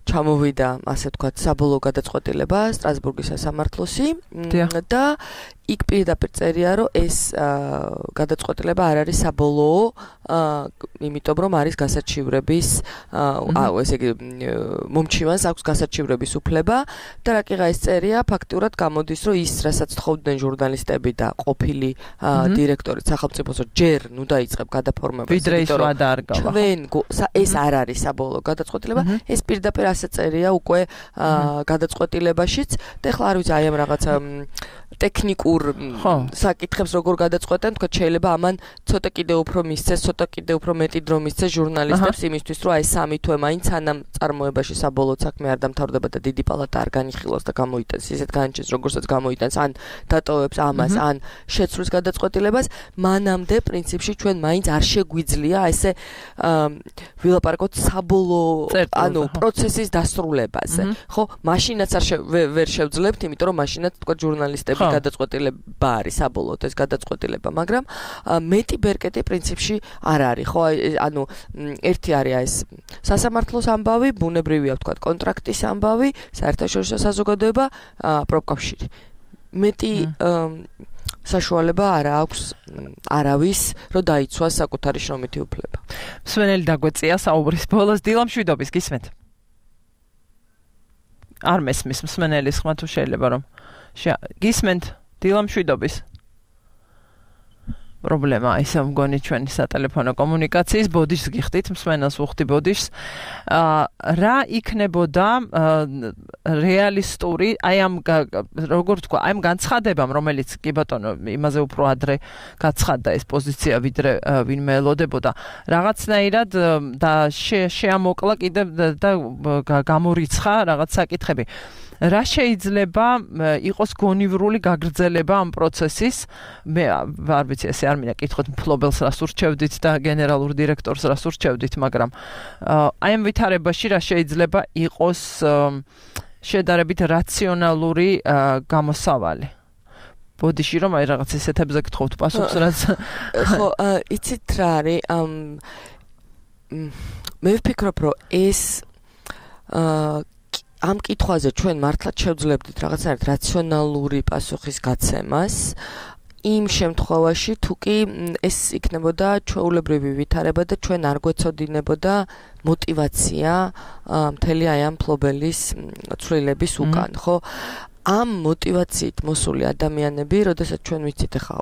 ჩამოვიდა ასე ვთქვათ საბოლოო გადაწყვეტილება სტრასბურგის სასამართლოსი და იქ პირდაპირ წერია რომ ეს გადაწყვეტილება არ არის საბოლოო იმიტომ რომ არის გასაჩივრების ესე იგი მომჩივანს აქვს გასაჩივრების უფლება და რაკიღა ეს წერია ფაქტურად გამოდის რომ ის რასაც თხოვდნენ ჟურნალისტები და ყოფილი დირექტორი სახელმწიფოს ჯერ ნუ დაიწყებ გადაფორმებას ვიდრე ის რა დაარგავა ჩვენ ეს არ არის საბოლოო გადაწყვეტილება ეს პირდაპირ ასე წერია უკვე გადაწყვეტილებაშიც და ახლა არ ვიცი აი ამ რაღაცა ტექნიკურ საკითხებს როგორ გადაწყვეტენ თქვა შეიძლება ამან ცოტა კიდე უფრო მისცეს ცოტა კიდე უფრო მეტი დრო მისცეს ჟურნალისტებს იმისთვის რომ აი 3 თვე მაინც ანამ წარმოებაში საბოლოო საქმე არ დამთავრდება და დიდი პალატა არ განიხილოს და გამოიტანს ისეთ განჩენს როგორცაც გამოიტანს ან დატოვებს ამას ან შეცვლის გადაწყვეტილებას მანამდე პრინციპში ჩვენ მაინც არ შეგვიძლია ესე ვილაპარაკოთ საბოლოო ანუ პროცესის დასრულებაზე ხო მაშინაც ვერ შევძლებთ იმიტომ რომ მაშინაც თქვა ჟურნალისტები გადაწყვეტილება არის საბოლოოდ ეს გადაწყვეტილება მაგრამ მეტი ბერკეტი პრინციპში არ არის ხო ანუ ერთი არის ეს სასამართლოს ამბავი ბუნებრივია ვთქვათ კონტრაქტის ამბავი საერთაშორისო საზოგადოება პროფკავშირი მეტი საშუალება არ აქვს არავის რომ დაიცვას საკუთარი შრომითი უფლება მსმენელი დაგვეწია საუბრის ბოლოს დილამშვიდობის გისმენთ არ მესმის მსმენელის ხმა თუ შეიძლება რომ გისმენთ დილამშვიდობის პრობლემა ისე მგონი ჩვენი სატელეფონო კომუნიკაციის ბოდიშს გიხდით მსმენელს უხდი ბოდიშს რა იქნებოდა რეალისტური აი ამ როგორ თქვა აი ამ განცხადებამ რომელიც კი ბატონო იმაზე უფრო ადრე გაცხადდა ეს პოზიცია ვიდრე ვინმე ელოდებოდა რაღაცნაირად და შეამოკლა კიდევ და გამორიცხა რაღაც საკითხები რა შეიძლება იყოს გონივრული გაგრძელება ამ პროცესის მე არ ვიცი ესე არ მინდა კითხოთ მფლობელს რას ურჩევდით და გენერალურ დირექტორს რას ურჩევდით მაგრამ აი ამ ვითარებაში რა შეიძლება იყოს შედარებით რაციონალური გამოსავალი ბოდიში რომ აი რაღაც ესეთებზე გთხოვთ პასუხს რაც ხო იცით რა არის მე ვფიქრობ რომ ეს ამ კითხვაზე ჩვენ მართლაც შევძლებდით რაღაცნაირად რაციონალური პასუხის გაცემას იმ შემთხვევაში თუ კი ეს იქნებოდა ჩვეულებრივი ვითარება და ჩვენ არ გვეცოდინებოდა мотивация მთელი აი ამ ფლობელის ცვლილების უკან ხო ამ мотивაციით მოსული ადამიანები, როდესაც ჩვენ ვიცით ახლა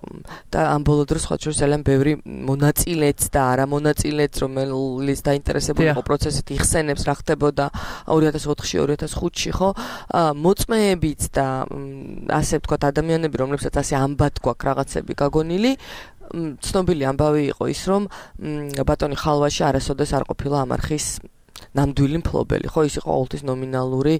და ამ ბოლო დროს სხვა შორის ძალიან ბევრი მონაწილეც და არა მონაწილეც, რომელიც დაინტერესებული იყო პროცესით, იხსენებს რა ხდებოდა 2004-ში, 2005-ში, ხო? მოწმეებიც და ასე ვთქვათ ადამიანები, რომლებსაც ასე ამბად გვაქვს რაღაცები გაგონილი, ცნობილი ამბავი იყო ის, რომ ბატონი ხალვაში არასოდეს არ ყოფილა ამ არხის ნამდვილი მფლობელი, ხო, ის იყო ყოველთვის ნომინალური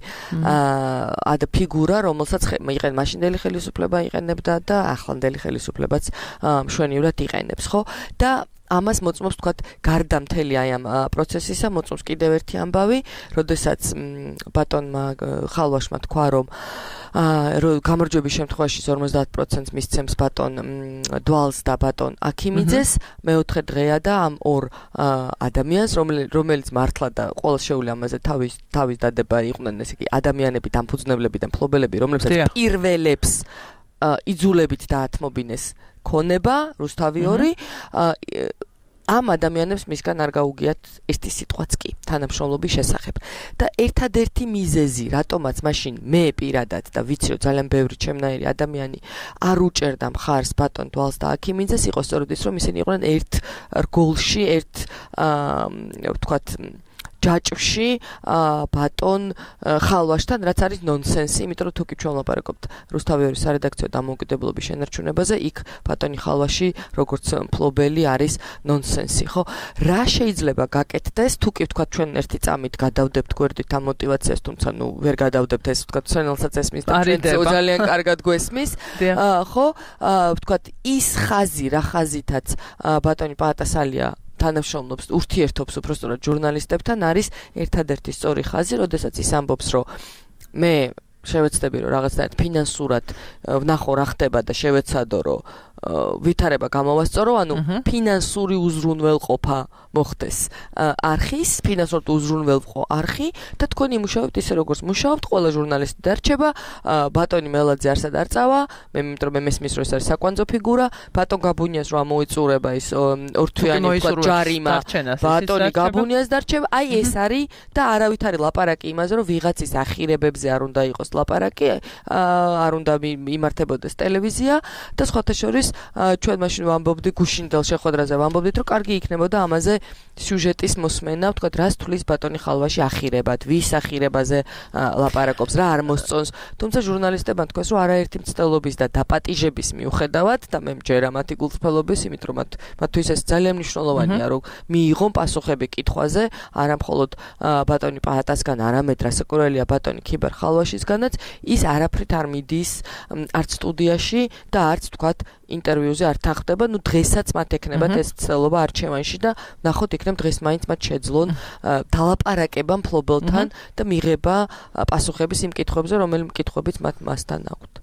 ფიგურა, რომელსაც იყენებდა მაშინდელი ხელისუფლება იყენებდა და ახლანდელი ხელისუფლებაც მშვენივრად იყენებს, ხო? და ამას მოწმობს თქვათ გარდა მთელი აი ამ პროცესისა მოწმობს კიდევ ერთი ამბავი, როდესაც ბატონმა ხალვაშმა თქვა რომ გამარჯვების შემთხვევაში 50% მისცემს ბატონ დვალს და ბატონ აქიმიძეს, მეოთხე დღეა და ამ ორ ადამიანს რომელიც მართლა და ყოველ შეული ამაზე თავის დადება იყვნენ ესე იგი ადამიანები, დამფუძნებლები და მფლობელები, რომლებსაც პირველებს იძულებით დაათმობინეს ქონება, რუსთავი 2 ამ ადამიანებს მისგან არ გაუგიათ ერთი სიტყვაც კი თანამშრომლობის შესახებ. და ერთადერთი მიზეზი, რატომაც მაშინ მე პირადად და ვიცი რომ ძალიან ბევრი ჩემნაირი ადამიანი არ უჭერდა მხარს ბატონ დვალს და აქიმიძეს, იყო სწორედ ის, რომ ისინი იყვნენ ერთ რგოლში, ერთ ვთქვათ ჯაჭვში ბატონ ხალვაშთან, რაც არის ნონსენსი, იმიტომ რომ თუ კი ჩვენ ვლაპარაკობთ რუსთავიორის სარედაქციო დამოუკიდებლობის შენარჩუნებაზე, იქ ბატონი ხალვაში როგორც მფლობელი არის ნონსენსი, ხო? რა შეიძლება გაკეთდეს, თუ კი ვთქვათ ჩვენ ერთი წამით გადავდებთ გვერდით ამ მოტივაციას, თუმცა ნუ ვერ გადავდებთ, ეს ვთქვათ სვენელსაც ესმის და ჩვენ ძალიან კარგად გვესმის, ხო? ვთქვათ ის ხაზი, რა ხაზითაც ბატონი პაატასალია თანამშრომლობს, ურთიერთობს უბრალოდ ჟურნალისტებთან, არის ერთადერთი სწორი ხაზი, როდესაც ის ამბობს, რომ მე შევეცდები, რომ რაღაცნაირად ფინანსურად ვნახო რა ხდება და შევეცადო, რომ ვითარება გამოვასწორო, ანუ ფინანსური უზრუნველყოფა მოხდეს არხის, ფინანსურად უზრუნველყო არხი და თქვენ იმუშავებთ ისე როგორც მუშაობთ, ყველა ჟურნალისტი დარჩება, ბატონი მელაძე არსად არ წავა, მე იმიტომ რომ მესმის რომ ეს არის საკვანძო ფიგურა, ბატონ გაბუნიას რომ ამოიწურება ის ორთვიანი თქვა ჯარიმა, ბატონი გაბუნიას დარჩება, აი ეს არის და არავით არის ლაპარაკი იმაზე, რომ ვიღაცის ახირებებზე არ უნდა იყოს ლაპარაკი, არ უნდა იმართებოდეს ტელევიზია და სხვათა შორის ჩვენ მაშინ ვამბობდი გუშინდელ შეხვედრაზე ვამბობდით რომ კარგი იქნებოდა ამაზე სიუჟეტის მოსმენა, ვთქვათ, რას თulis ბატონი ხალვაში ახირებად, ვის ახირებაზე ლაპარაკობს, რა არ მოსწონს, თუმცა ჟურნალისტებმა თქვეს რომ არაერთი მცდელობის და დაპატიჟების მიუხედავად და მე მჯერა მათი გულწრფელობის, იმიტომ რომ მათთვის ეს ძალიან მნიშვნელოვანია, რომ მიიღონ პასუხები კითხვაზე, არა მხოლოდ ბატონი პაატასგან, არამედ რასაკვირველია ბატონი ქიბერ ხალვაშისგანაც, ის არაფრით არ მიდის არც სტუდიაში და არც ვთქვათ ინტერვიუზე არ თანხდება, ნუ დღესაც მათ ექნებათ ეს ცდელობა არჩევანში და ნახოთ იქნებ დღეს მაინც მათ შეძლონ დალაპარაკება მფლობელთან და მიღება პასუხების იმ კითხვებზე, რომელი კითხვებიც მათ მასთან აქვთ.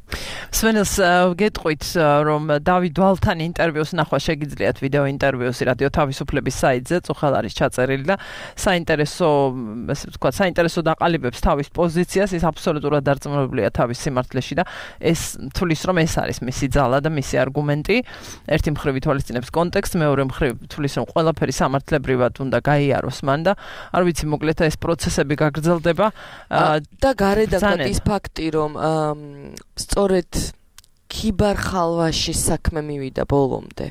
სვენელს გეტყვით, რომ დავით დვალთან ინტერვიუს ნახვა შეგიძლიათ ვიდეო ინტერვიუსი რადიო თავისუფლების საიტზე, წუხელ არის ჩაწერილი და საინტერესო, ესე ვთქვათ, საინტერესო დაყალიბებს თავის პოზიციას, ის აბსოლუტურად დარწმუნებულია თავის სიმართლეში და ეს თulis რომ ეს არის მისი ძალა და მისი არგუმენტი. ერთი მხრივ ითვალისწინებს კონტექსტს, მეორე მხრივ თulis რომ ყველაფერი სამართლებრივად უნდა გაიაროს მან და არ ვიცი მოკლედ ეს პროცესები გაგრძელდება და გარედან ის ფაქტი რომ სწორედ ქიბარ ხალვაშის საქმე მივიდა ბოლომდე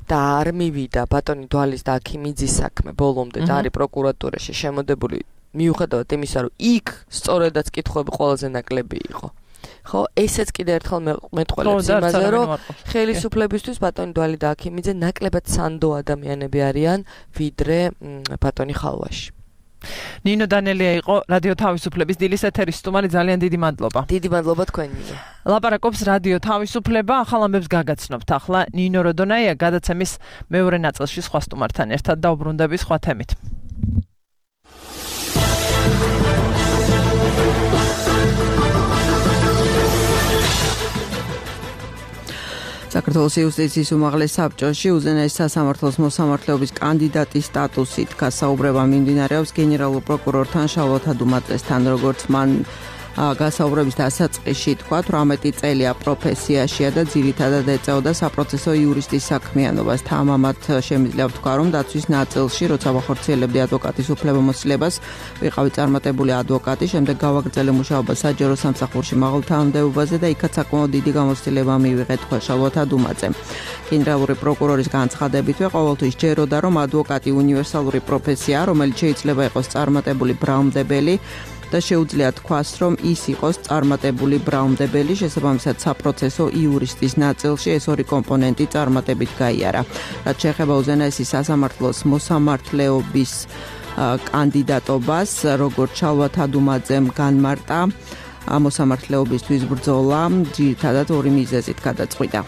და არ მივიდა ბატონი დვალის და აქიმიძის საქმე ბოლომდე და არის პროკურატურაში შემოდებული მიუხედავად იმისა რომ იქ სწორედაც კითხვები ყველაზე ნაკლები იყო. ხო, ესეც კიდე ერთხელ მეტყველებს იმაზე, რომ ხელისუფლებისთვის ბატონი დვალი და აქიმიძე ნაკლებად სანდო ადამიანები არიან, ვიდრე ბატონი ხალვაში. ნინო დანელია იყო რადიო თავისუფლების დილის ეთერის სტუმარი, ძალიან დიდი მადლობა. დიდი მადლობა თქვენმე. ლაპარაკობს რადიო თავისუფლება, ახალ ამბებს გაგაცნობთ ახლა ნინო როდონაია გადაცემის მეორე ნაწილში სხვა სტუმართან ერთად დაუბრუნდები სხვა თემით. საქართველოს იუსტიციის უმაღლეს საბჭოში უზენაეს სასამართლოს მოსამართლეობის კანდიდატის სტატუსით გასაუბრება მიმდინარეობს გენერალურ პროკურორთან შალვა თადუმაძესთან, როგორც მან გასაუბრების დასაწყისში თქვა, 18 წელია პროფესიაშია და ძირითადად ეწეოდა საპროცესო იურისტის საქმიანობას. თამამად შემიძლია ვთქვა, რომ დაცვის ნაწილში, როცა ვახორციელებდი ადვოკატის უფლებამოსილებას, ვიყავი წარმატებული ადვოკატი, შემდეგ გავაგრძელე მუშაობა საჯარო სამსახურში მაღალ თანამდებობაზე და იქაც საკმაოდ დიდი გამოცდილება მივიღე, თქვა შალვა თადუმაძემ. გენერალური პროკურორის განცხადებითვე ყოველთვის ჯეროდა, რომ ადვოკატი უნივერსალური პროფესიაა, რომელიც შეიძლება იყოს წარმატებული ბრალმდებელი და შეუძლია თქვას, რომ ის იყოს წარმატებული ბრალმდებელი, შესაბამისად საპროცესო იურისტის ნაწილში ეს ორი კომპონენტი წარმატებით გაიარა. რაც შეეხება უზენაესი სასამართლოს მოსამართლეობის კანდიდატობას, როგორც შალვა თადუმაძემ განმარტა, მოსამართლეობისთვის ბრძოლა ძირითადად ორი მიზეზით გადაწყვიტა.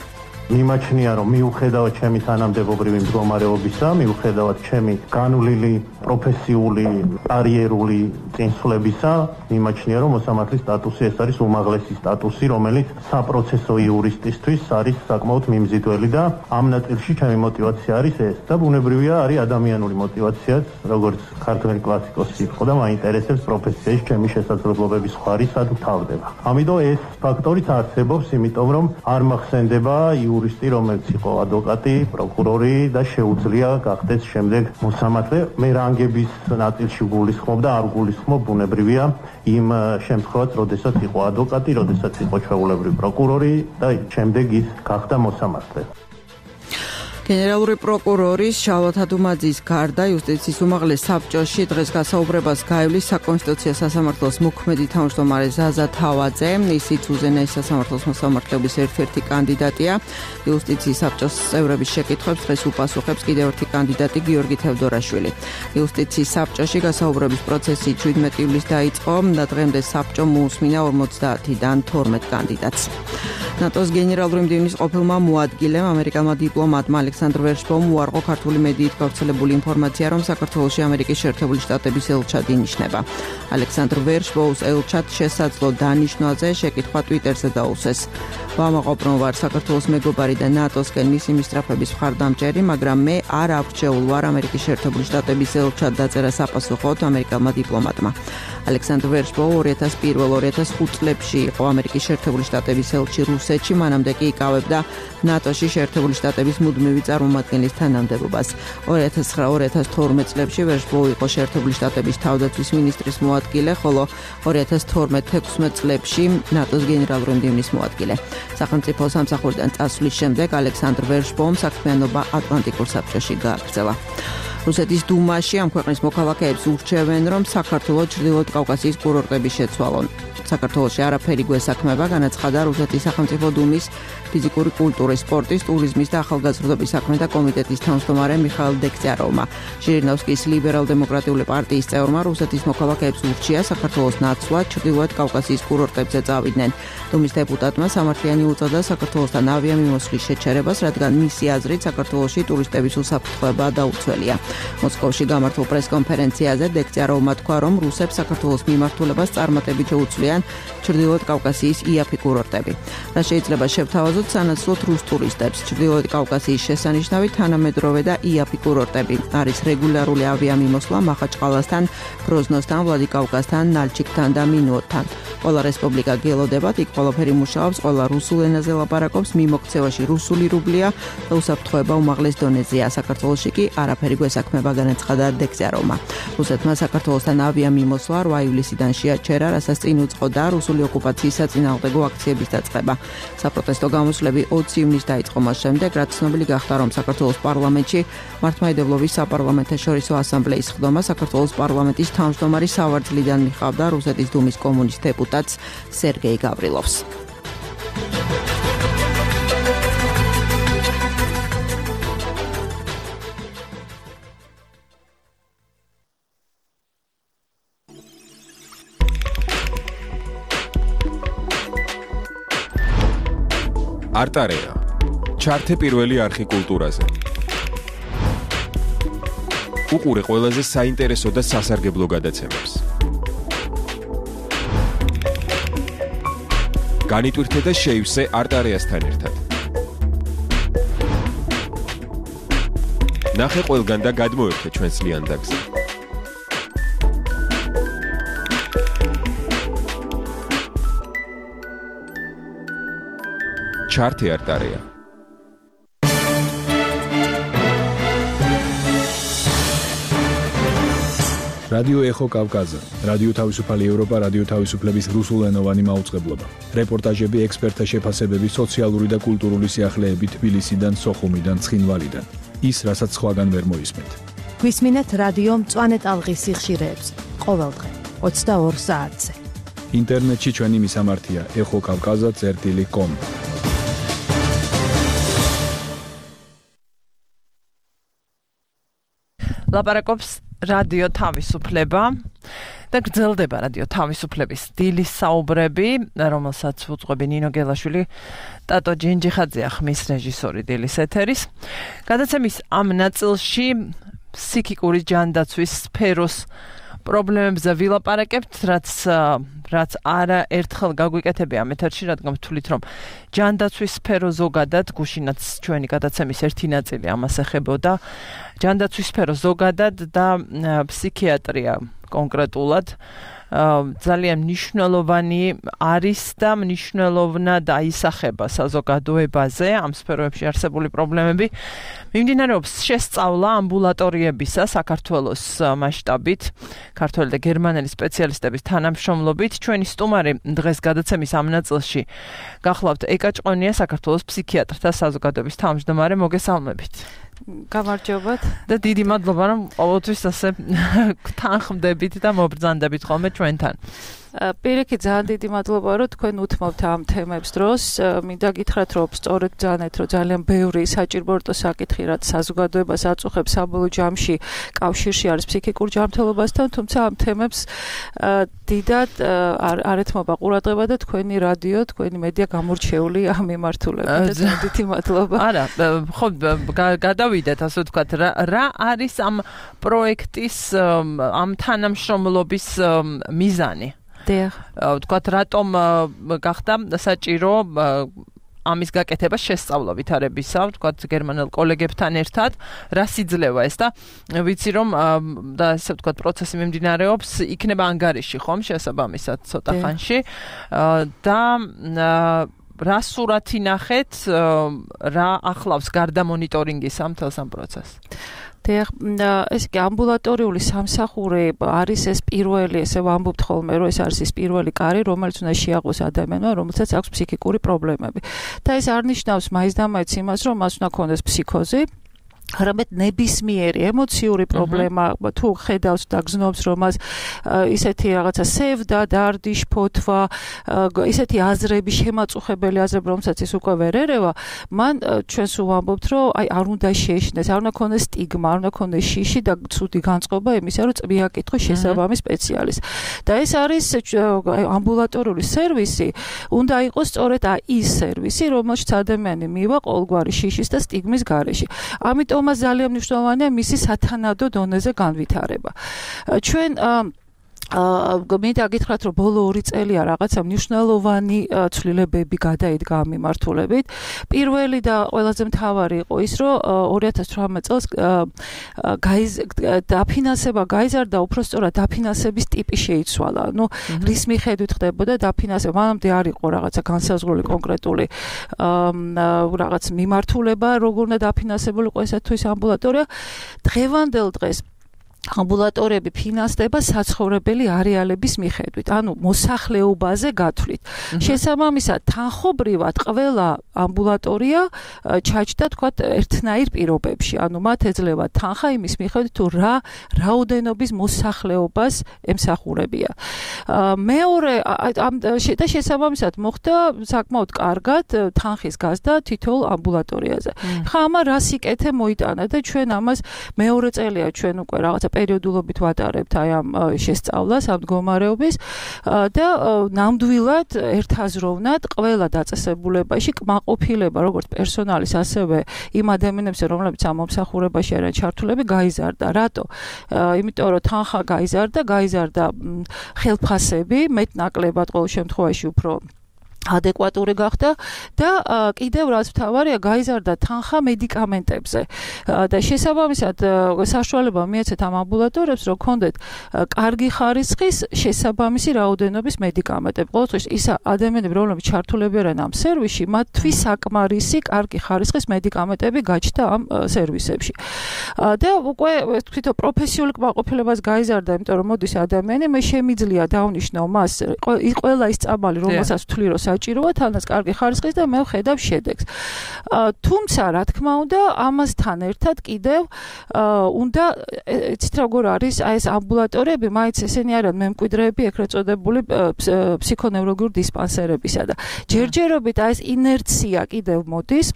მიმაჩნია, რომ მიუხედავად ჩემი თანამდებობრივი მდგომარეობისა, მიუხედავად ჩემი განვლილი პროფესიული კარიერული წინსვლებისა, მიმაჩნია, რომ მოსამართლის სტატუსი ეს არის უმაღლესი სტატუსი, რომელიც საპროცესო იურისტისთვის არის საკმაოდ მიმზიდველი და ამ ნაწილში ჩემი мотиваცია არის ეს და ბუნებრივია არის ადამიანური мотиваციაც, როგორც ქართველი კლასიკოსი იყო და მაინტერესებს პროფესიაში ჩემი შესაძლებლობების ხარი სად თავდება. ამიტომ ეს ფაქტორიც არსებობს, იმიტომ რომ არ მახსენდება იურისტი, რომელიც იყო ადვოკატი, პროკურორი და შეუძლია გახდეს შემდეგ მოსამართლე. მე რანგების ნაწილში გულისხმობ და არ გულისხმობ, ბუნებრივია იმ შემთხვევაში, როდესაც იყო ადვოკატი, როდესაც იყო ჩვეულებრივი პროკურორი და შემდეგ ის გახდა მოსამართლე. გენერალური პროკურორის შალვა თადუმაძის გარდა იუსტიციის უმაღლეს საბჭოში დღეს გასაუბრებას გაივლის საკონსტიტუციო სასამართლოს მოქმედი თავმჯდომარე ზაზა თავაძე. ისიც უზენაეს სასამართლოს მოსამართლეობის ერთ-ერთი კანდიდატია. იუსტიციის საბჭოს წევრების შეკითხვებს დღეს უპასუხებს კიდევ ერთი კანდიდატი გიორგი თევდორაშვილი. იუსტიციის საბჭოში გასაუბრების პროცესი 17 ივლისს დაიწყო და დღემდე საბჭომ მოусმინა 50-დან 12 კანდიდატს. ნატოს გენერალური მდივნის ყოფილმა მოადგილემ ამერიკელმა დიპლომატმა ალექსანდრ ვერშბოუმ უარყო ქართული მედიით გავრცელებული ინფორმაცია, რომ საქართველოში ამერიკის შეერთებული შტატების ელჩად ინიშნება. ალექსანდრ ვერშბოუმს ელჩად შესაძლო დანიშნვაზე შეკითხვა ტვიტერზე დაუსვეს. ვამაყობ, რომ ვარ საქართველოს მეგობარი და ნატოსკენ მისი მისწრაფების მხარდამჭერი, მაგრამ მე არ ავრჩეულ ვარ ამერიკის შეერთებული შტატების ელჩად დაწერას აპასუხოთ ამერიკელმა დიპლომატმა. ალექსანდრ ვერშბოუმ 2001-2005 წლებში იყო ამერიკის შეერთებული შტატების ელჩი რუსეთში, მანამდე კი იკავებდა ნატოში შეერთებული შტატების მუდმივი წარმომადგენლის თანამდებობას. 2009-2012 წლებში ვერშბოუმ იყო შეერთებული შტატების თავდაცვის მინისტრის მოადგილე, ხოლო 2012-16 წლებში ნატოს გენერალური მდივნის მოადგილე. სახელმწიფო სამსახურიდან წასვლის შემდეგ ალექსანდრ ვერშბოუმ საქმიანობა ატლანტიკურ საბჭოში გააგრძელა. რუსეთის დუმაში ამ ქვეყნის მოქალაქეებს ურჩევენ, რომ საქართველოს ჩრდილოეთ კავკასიის კურორტები შეცვალონ. საქართველოში არაფერი გვესაქმება, განაცხადა რუსეთის სახელმწიფო დუმის ფიზიკური კულტურის, სპორტის, ტურიზმის და ახალგაზრდობის საქმეთა კომიტეტის თავმჯდომარე მიხაილ დეგტიაროვმა. ჟირინოვსკის ლიბერალ-დემოკრატიული პარტიის წევრმა რუსეთის მოქალაქეებს ურჩია საქართველოს ნაცვლად ჩრდილოეთ კავკასიის კურორტებზე წავიდნენ. დუმის დეპუტატმა სამართლიანი უწოდა საქართველოსთან ავიამიმოსვლის შეჩერებას, რადგან მისი აზრით საქართველოში ტურისტების უსაფრთხოება დაუცველია. მოსკოვში გამართულ პრესკონფერენციაზე დეგტიაროვმა თქვა, რომ რუსებს საქართველოს მიმართულებას წარმატებით შეუცვლიან ჩრდილოეთ კავკასიის იაფი კურორტები. და შეიძლება შევთავაზოთ სანაცვლოდ რუს ტურისტებს. ჩრდილოეთ კავკასიის შესანიშნავი თანამედროვე და იაფი კურორტები არის რეგულარული ავიამიმოსვლა მახაჩყალასთან, გროზნოსთან, ვლადიკავკაზთან, ნალჩიკთან და მინუოთთან. ყველა რესპუბლიკა გელოდებათ, იქ ყველაფერი მუშაობს, ყველა რუსულ ენაზე ლაპარაკობს, მიმოქცევაში რუსული რუბლია და უსაფრთხოება უმაღლეს დონეზეა. საქართველოში კი არაფერი გვესაქმება, განაცხადა დეგტიაროვმა. რუსეთმა საქართველოსთან ავიამიმოსვლა 8 ივლისიდან შეაჩერა, რასაც წინ უძღოდა რუსული ოკუპაციის საწინააღმდეგო აქციების დაწყება. საპროტესტო გამოსვლები 20 ივნისს დაიწყო მას შემდეგ, რაც ცნობილი გახდა, რომ საქართველოს პარლამენტში მართლმადიდებლობის საპარლამენტაშორისო ასამბლეის ხდომა საქართველოს პარლამენტის თავმჯდომარის სავარძლიდან მიხავდა რუსეთის დუმის კომუნისტ დეპუტატს სერგეი გავრილოვს. არტარეა. ჩართე პირველი არხი კულტურაზე. უყურე ყველაზე საინტერესო და სასარგებლო გადაცემებს. განიტვირთე და შეივსე არტარეასთან ერთად. ნახე ყველგან და გადმოერთე ჩვენს ლიანდაგზე. ჩართე არტარეა. რადიო ეხო კავკაზა, რადიო თავისუფალი ევროპა, რადიო თავისუფლების რუსულენოვანი მაუწყებლობა. რეპორტაჟები, ექსპერტთა შეფასებები, სოციალური და კულტურული სიახლეები თბილისიდან, სოხუმიდან, ცხინვალიდან. ის, რასაც სხვაგან ვერ მოისმენთ. გვისმინეთ რადიო მწვანე ტალღის სიხშირეებს ყოველდღე 22 საათზე. ინტერნეტში ჩვენი მისამართია ეხოკავკაზა.com. ლაპარაკობს რადიო თავისუფლება და გრძელდება რადიო თავისუფლების დილის საუბრები, რომელსაც უძღვები ნინო გელაშვილი, ტატო ჯინჯიხაძე ხმის რეჟისორი დილის ეთერის. გადაცემის ამ ნაწილში ფსიქიკური ჯანდაცვის სფეროს პრობლემებზე ვილაპარაკებთ, რაც არა ერთხელ გაგვიკეთებია ამ ეთერში, რადგან ვთვლით, რომ ჯანდაცვის სფერო ზოგადად, გუშინაც ჩვენი გადაცემის ერთი ნაწილი ამას ეხებოდა, ჯანდაცვის სფერო ზოგადად და ფსიქიატრია კონკრეტულად ძალიან მნიშვნელოვანი არის და მნიშვნელოვნად აისახება საზოგადოებაზე ამ სფეროებში არსებული პრობლემები. მიმდინარეობს შესწავლა ამბულატორიებისა საქართველოს მასშტაბით, ქართველი და გერმანელი სპეციალისტების თანამშრომლობით. ჩვენი სტუმარი დღეს გადაცემის ამ ნაწილში გახლავთ ეკა ჭყონია, საქართველოს ფსიქიატრთა საზოგადოების თავმჯდომარე. მოგესალმებით. გამარჯობათ და დიდი მადლობა რომ ყოველთვის ასე თანხმდებით და მობრძანდებით ხოლმე ჩვენთან. პირიქით ძალიან დიდი მადლობა რომ თქვენ უთმობთ ამ თემებს დროს. მინდა გითხრათ რომ სწორედ ბრძანეთ რომ ძალიან ბევრი საჭიროებო საკითხი რაც საზოგადოებას აწუხებს საბოლოო ჯამში კავშირში არის ფსიქიკურ ჯანმრთელობასთან, თუმცა ამ თემებს დიდად არ ეთმობა ყურადღება და თქვენი რადიო, თქვენი მედია გამორჩეული ამ მიმართულებით. დიდი მადლობა. არა, ხო გადავიდეთ ასე ვთქვათ, რა არის ამ პროექტის ამ თანამშრომლობის მიზანი? ვთქვათ, რატომ გახდა საჭირო ამის გაკეთება შესწავლა ვითარებისა, ვთქვათ, გერმანელ კოლეგებთან ერთად, რა სიძლევა ეს და ვიცი რომ და ასე ვთქვათ, პროცესი მიმდინარეობს, იქნება ანგარიში ხომ შესაბამისად ცოტა ხანში და რა სურათი ნახეთ, რა ახლავს გარდა მონიტორინგის ამ თელს ამ პროცესს? ეს კი ამბულატორიული სამსახური არის ეს პირველი, ესე ვამბობთ ხოლმე, რომ ეს არის ის პირველი კარი, რომელიც უნდა შეაყვეს ადამიანმა, რომელსაც აქვს ფსიქიკური პრობლემები. და ეს არ ნიშნავს მაინც და მაინც იმას, რომ მას უნდა ქონდეს ფსიქოზი, არამედ ნებისმიერი ემოციური პრობლემა, თუ ხედავს და გზნობს, რომ მას ისეთი რაღაცა სევდა, დარდი, შფოთვა, ისეთი აზრები, შემაწუხებელი აზრები, რომელსაც ის უკვე ვერ ერევა, მან ჩვენს ვამბობთ, რომ აი არ უნდა შეეშინდეს, არ უნდა ქონდეს სტიგმა, არ უნდა ქონდეს შიში და ცუდი განწყობა იმისა, რომ წვია კითხოს შესაბამის სპეციალისტს. და ეს არის ამბულატორიული სერვისი, უნდა იყოს სწორედ ის სერვისი, რომელშიც ადამიანი მივა ყოველგვარი შიშის და სტიგმის გარეშე. ამიტომ მას ძალიან მნიშვნელოვანია მისი სათანადო დონეზე განვითარება. ჩვენ მინდა გითხრათ, რომ ბოლო 2 წელია რაღაცა მნიშვნელოვანი ცვლილებები გადაიდგა ამ მიმართულებით. პირველი და ყველაზე მთავარი იყო ის, რომ 2018 წელს დაფინანსება გაიზარდა, უბრალოდ დაფინანსების ტიპი შეიცვალა. ანუ რის მიხედვით ხდებოდა დაფინანსება? მანამდე არ იყო რაღაცა განსაზღვრული კონკრეტული რაღაც მიმართულება, როგორ უნდა დაფინანსებულიყო ესა თუ ის ამბულატორია. დღევანდელ დღეს ამბულატორიები ფინანსდება საცხოვრებელი არეალების მიხედვით, ანუ მოსახლეობაზე გათვლით. შესაბამისად, თანხობრივად ყველა ამბულატორია ჩაჯდა, თქვათ, ერთნაირ პირობებში, ანუ მათ ეძლევა თანხა იმის მიხედვით, თუ რა რაოდენობის მოსახლეობას ემსახურებია. მეორე და შესაბამისად მოხდა საკმაოდ კარგად თანხის გაზრდა თითოეულ ამბულატორიაზე. ხა ამა რა სიკეთე მოიტანა და ჩვენ ამას მეორე წელია ჩვენ უკვე რაღაცა პერიოდულობით ვატარებთ აი ამ შესწავლას, ამ მდგომარეობის და ნამდვილად ერთაზროვნად ყველა დაწესებულებაში კმაყოფილება როგორც პერსონალის, ასევე იმ ადამიანებზე, რომლებიც ამ მომსახურებაში არიან ჩართულები, გაიზარდა. რატო? იმიტომ რომ თანხა გაიზარდა ხელფასები, მეტნაკლებად ყოველ შემთხვევაში უფრო ადეკვატური გახდა და კიდევ რაც მთავარია, გაიზარდა თანხა მედიკამენტებზე. და შესაბამისად საშუალება მიეცეთ ამ ამბულატორიებს, რომ ქონდეთ კარგი ხარისხის შესაბამისი რაოდენობის მედიკამენტები. ყოველთვის ის ადამიანები, რომლებიც ჩართულები არიან ამ სერვისში, მათთვის საკმარისი კარგი ხარისხის მედიკამენტები გაჩნდა ამ სერვისებში. და უკვე თვითონ პროფესიული კმაყოფილებას გაიზარდა, იმიტომ რომ მოდის ადამიანი, მე შემიძლია დავნიშნავ მას ყველა ის წამალი, რომელსაც ვთვლი, რომ საჭიროა თანაც კარგი ხარისხის და მე ვხედავ შედეგს. თუმცა, რა თქმა უნდა, ამასთან ერთად კიდევ უნდა იცით როგორ არის აი ეს ამბულატორიები, მაინც ესენი არიან მემკვიდრეები ეგრეთ წოდებული ფსიქონევროლოგიური დისპანსერებისა და ჯერჯერობით აი ეს ინერცია კიდევ მოდის.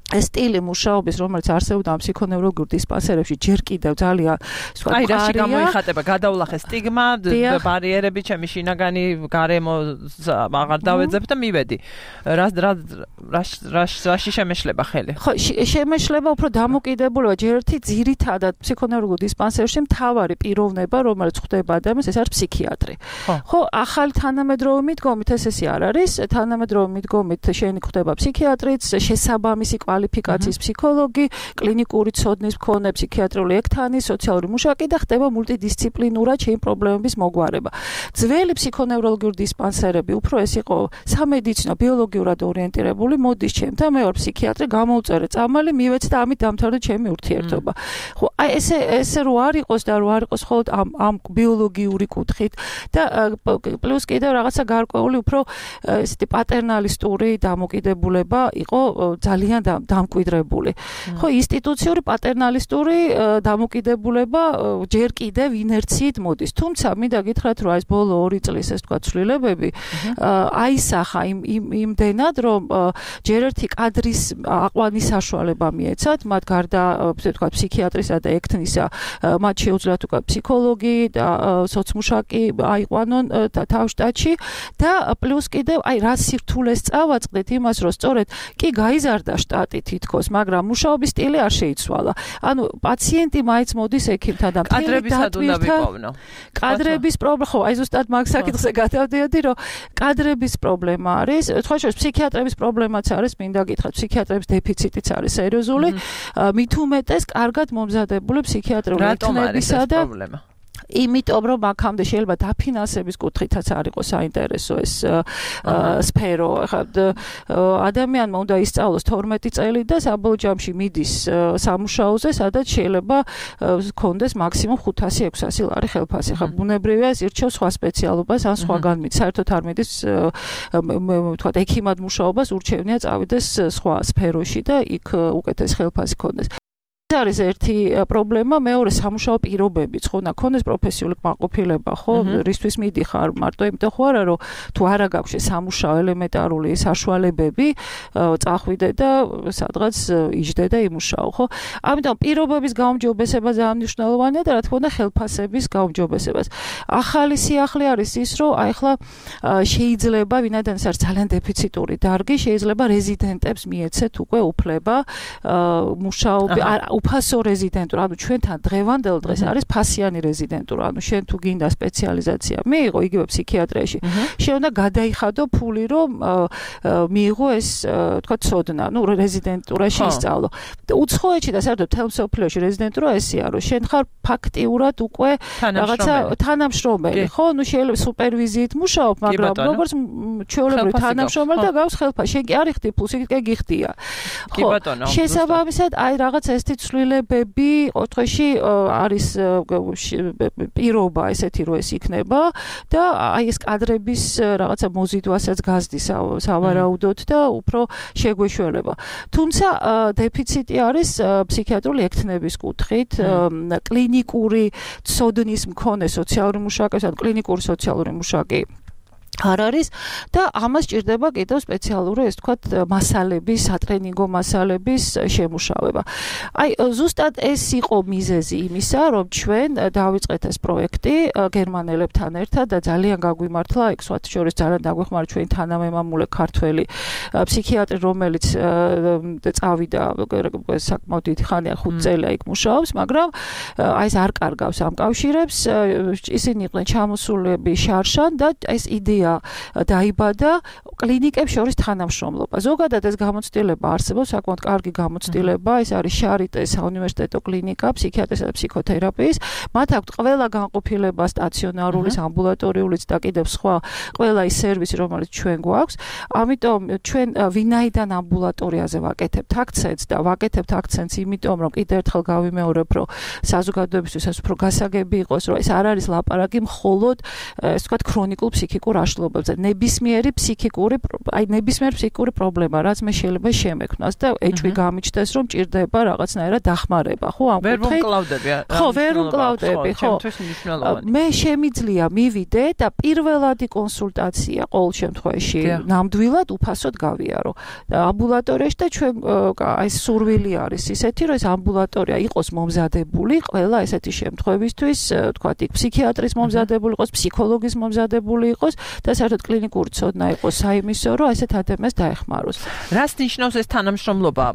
ეს სტილი მუშაობის, რომელიც არსებობდა ამ ფსიქონევროლოგიურ დისპანსერებში, ჯერ კიდევ ძალიან სხვა აი რაში გამოიხატება, გადავლახე სტიგმა, ბარიერები, ჩემი შინაგანი გარემო აღარ დავეძებ და მივედი. რაში შემეშლება ხელი? ხო, შემეშლება უფრო დამოკიდებულება ჯერ ერთი ძირითადად ფსიქონევროლოგიურ დისპანსერში მთავარი პიროვნება, რომელიც ხდება ადამიანს, ეს არის ფსიქიატრი. ხო, ახალი თანამედროვე მიდგომით ეს არ არის, თანამედროვე მიდგომით შენი ხდება ფსიქიატრიც, შესაბამისი კვალიფიკაციის ფსიქოლოგი, კლინიკური ცოდნის მქონე ფსიქიატრიული ექთანი, სოციალური მუშაკი და ხდება მულტიდისციპლინურად ჩემი პრობლემების მოგვარება. ძველი ფსიქონევროლოგიური დისპანსერები უფრო ეს იყო სამედიცინო, ბიოლოგიურად ორიენტირებული, მოდის ჩემთან, მე ვარ ფსიქიატრი, გამოუწერე წამალი, მივეცე და ამით დამთავრდა ჩემი ურთიერთობა. ხო, აი ესე რო არ იყოს და რო არ იყოს მხოლოდ ამ ბიოლოგიური კუთხით და პლუს კიდევ რაღაცა გარკვეული უფრო ესეთი პატერნალისტური დამოკიდებულება იყო ძალიან დამკვიდრებული. ხო, ინსტიტუციური პატერნალისტური დამოკიდებულება ჯერ კიდევ ინერციით მოდის. თუმცა მინდა გითხრათ, რომ ეს ბოლო 2 წლის ეს თქვა ცვლილებები აისახა იმდენად, რომ ჯერ ერთი კადრის აყვანის საშუალება მიეცათ, მათ გარდა ესე თქვა ფსიქიატრისა და ექთნისა, მათ შეუძლიათ უკვე ფსიქოლოგი და სოციმუშაკი აიყვანონ თავშტატში და პლუს კიდევ აი რა სირთულეს წავაწყდეთ იმას, რომ სწორედ კი გაიზარდა შტატი თითქოს, მაგრამ მუშაობის სტილი არ შეიცვალა. ანუ პაციენტი მაინც მოდის ექიმთან და კადრებისად უნდა ვიყოვნო. კადრების პრობლემა, ხო, აი ზუსტად მაგ საკითხზე გადავდიოდი, რომ კადრების პრობლემა არის, თქვა შორის ფსიქიატრების პრობლემაც არის, მინდა გითხრათ, ფსიქიატრების დეფიციტიც არის სერიოზული, მით უმეტეს კარგად მომზადებული ფსიქიატრიული ექთნებისა და პრობლემა. იმიტომ რომ აქამდე შეიძლება დაფინანსების კუთხითაც არ იყოს საინტერესო ეს სფერო. ადამიანმა უნდა ისწავლოს 12 წელი და საბოლოო ჯამში მიდის სამუშაოზე, სადაც შეიძლება ჰქონდეს მაქსიმუმ 500-600 ლარი ხელფასი. ხა ბუნებრივია ეს ირჩევს სხვა სპეციალობას ან სხვაგან მიდის. საერთოდ არ მიდის თქვა ექიმად მუშაობას, ურჩევნია წავიდეს სხვა სფეროში და იქ უკეთეს ხელფასი ჰქონდეს. არის ერთი პრობლემა, მეორე სამუშაო პირობებიც, ხო, ნახონდეს პროფესიული კმაყოფილება, ხო, რისთვის მიდიხარ, მარტო იმიტომ ხო არა, რომ თუ არა გაქვს სამუშაო ელემენტარული საშუალებები, წახვიდე და სადღაც იჯდე და იმუშაო, ხო? ამიტომ პირობების გაუმჯობესება ძალიან მნიშვნელოვანია და რა თქმა უნდა ხელფასების გაუმჯობესებას. ახალი სიახლე არის ის, რომ აი ახლა შეიძლება ვინაიდან ეს არის ძალიან დეფიციტური დარგი, შეიძლება რეზიდენტებს მიეცეთ უკვე უფლება მუშაობი უფასო რეზიდენტურა, ანუ ჩვენთან დღევანდელ დღეს არის ფასიანი რეზიდენტურა, ანუ შენ თუ გინდა სპეციალიზაცია მიიღო იგივე ფსიქიატრიაში, შენ უნდა გადაიხადო ფული, რომ მიიღო ეს თქვა ცოდნა, ну რეზიდენტურაში ისწავლო. უცხოეთში და საერთოდ მთელ მსოფლიოში რეზიდენტურა ესეა, რომ შენ ხარ ფაქტიურად უკვე რაღაცა თანამშრომელი, ხო? ну შეიძლება სუპერვიზიით მუშაობ, მაგრამ როგორც ჩვეულებრივ თანამშრომელი და გავს ხელფასი, შენ კი არ იხდი ფულს, იქ გიხდია. ხო, შესაბამისად, აი რაღაც ესეთი ცვლილებები ყოველთვის არის პირობა ესეთი, რომ ეს იქნება და აი ეს კადრების რაღაცა მოზიდვასაც გაზდის სავარაუდოდ და უფრო შეგვეშველება. თუმცა დეფიციტი არის ფსიქიატრიული ექთნების კუთხით, კლინიკური ცოდნის მქონე სოციალური მუშაკი, ან კლინიკური სოციალური მუშაკი არ არის და ამას ჭირდება კიდევ სპეციალური ეს თქვა მასალების, სატრენინგო მასალების შემუშავება. აი ზუსტად ეს იყო მიზეზი იმისა, რომ ჩვენ დავიწყეთ ეს პროექტი გერმანელებთან ერთად და ძალიან გაგვიმართლა, იქ სხვათა შორის ძალიან დაგვეხმარა ჩვენი თანამემამულე ქართველი ფსიქიატრი, რომელიც წავიდა საკმაოდ დიდი ხანია 5 წელია იქ მუშაობს, მაგრამ აი ეს არ კარგავს ამ კავშირებს, ისინი იყვნენ ჩამოსულები შარშან და ეს იდეა დაიბადა კლინიკებს შორის თანამშრომლობა. ზოგადად ეს გამოცდილება არსებობს, საკმაოდ კარგი გამოცდილება, ეს არის შარიტეს საუნივერსიტეტო კლინიკა ფსიქიატრისა და ფსიქოთერაპიის. მათ აქვთ ყველა განყოფილება სტაციონარულის, ამბულატორიულიც და კიდევ სხვა ყველა ის სერვისი, რომელიც ჩვენ გვაქვს. ამიტომ ჩვენ ვინაიდან ამბულატორიაზე ვაკეთებთ აქცენტს და ვაკეთებთ აქცენტს იმიტომ, რომ კიდევ ერთხელ გავიმეორებ, რომ საზოგადოებისთვის ეს უფრო გასაგები იყოს, რომ ეს არ არის ლაპარაკი მხოლოდ ეს თქვა ქრონიკულ ფსიქიკურ ნებისმიერი ფსიქიკური პრობლემა, რაც მე შეიძლება შემექმნას და ეჭვი გამიჩნდეს, რომ ჭირდება რაღაცნაირად დახმარება, ხო, ამ ვერ ვმკლავდები. ხო, ვერ ვმკლავდები, ხო. მე შემიძლია მივიდე და პირველადი კონსულტაცია ყოველ შემთხვევაში ნამდვილად უფასოდ გავიარო. და ამბულატორიაში და ჩვენ აი სურვილი არის ისეთი, რომ ეს ამბულატორია იყოს მომზადებული ყველა ესეთი შემთხვევისთვის, თქვა იქ ფსიქიატრის მომზადებული იყოს, ფსიქოლოგის მომზადებული იყოს და საერთოდ კლინიკური ცოდნა იყოს საიმისო, რომ ესეთ ადამიანს დაეხმაროს. რას ნიშნავს ეს თანამშრომლობა?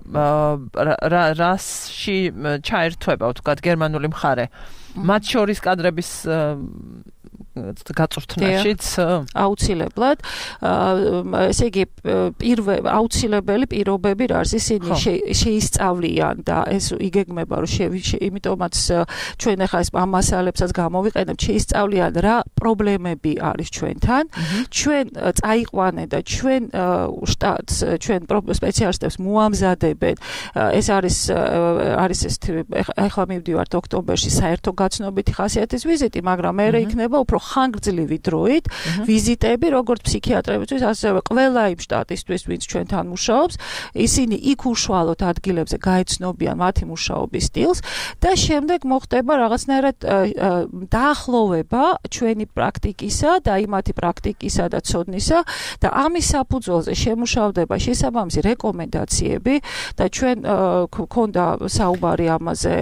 რასში ჩაერთვება, თქვა გერმანული მხარე? მათ შორის კადრების გაწვრთნაშიც აუცილებლად ესე იგი აუცილებელი პირობები რა არის ისინი შეისწავლიან და ეს იგეგმება რომ იმიტომაც ჩვენ ახლა ეს მასალებსაც გამოვიყენებთ შეისწავლიან რა პრობლემები არის ჩვენთან ჩვენ წაიყვანეთ და ჩვენ შტატს ჩვენ სპეციალისტებს მოამზადებენ ეს არის ეს ახლა მივდივართ ოქტომბერში საერთო გაცნობითი ხასიათის ვიზიტი მაგრამ მე იქნება უფრო ხანგრძლივი დროით ვიზიტები როგორც ფსიქიატრებისთვის ასევე ყველა იმ შტატისთვის ვინც ჩვენთან მუშაობს ისინი იქ უშუალოდ ადგილებზე გაეცნობიან მათი მუშაობის სტილს და შემდეგ მოხდება რაღაცნაირად დაახლოვება ჩვენი პრაქტიკისა და იმათი პრაქტიკისა და ცოდნისა და ამის საფუძველზე შემუშავდება შესაბამისი რეკომენდაციები და ჩვენ გქონდა საუბარი ამაზე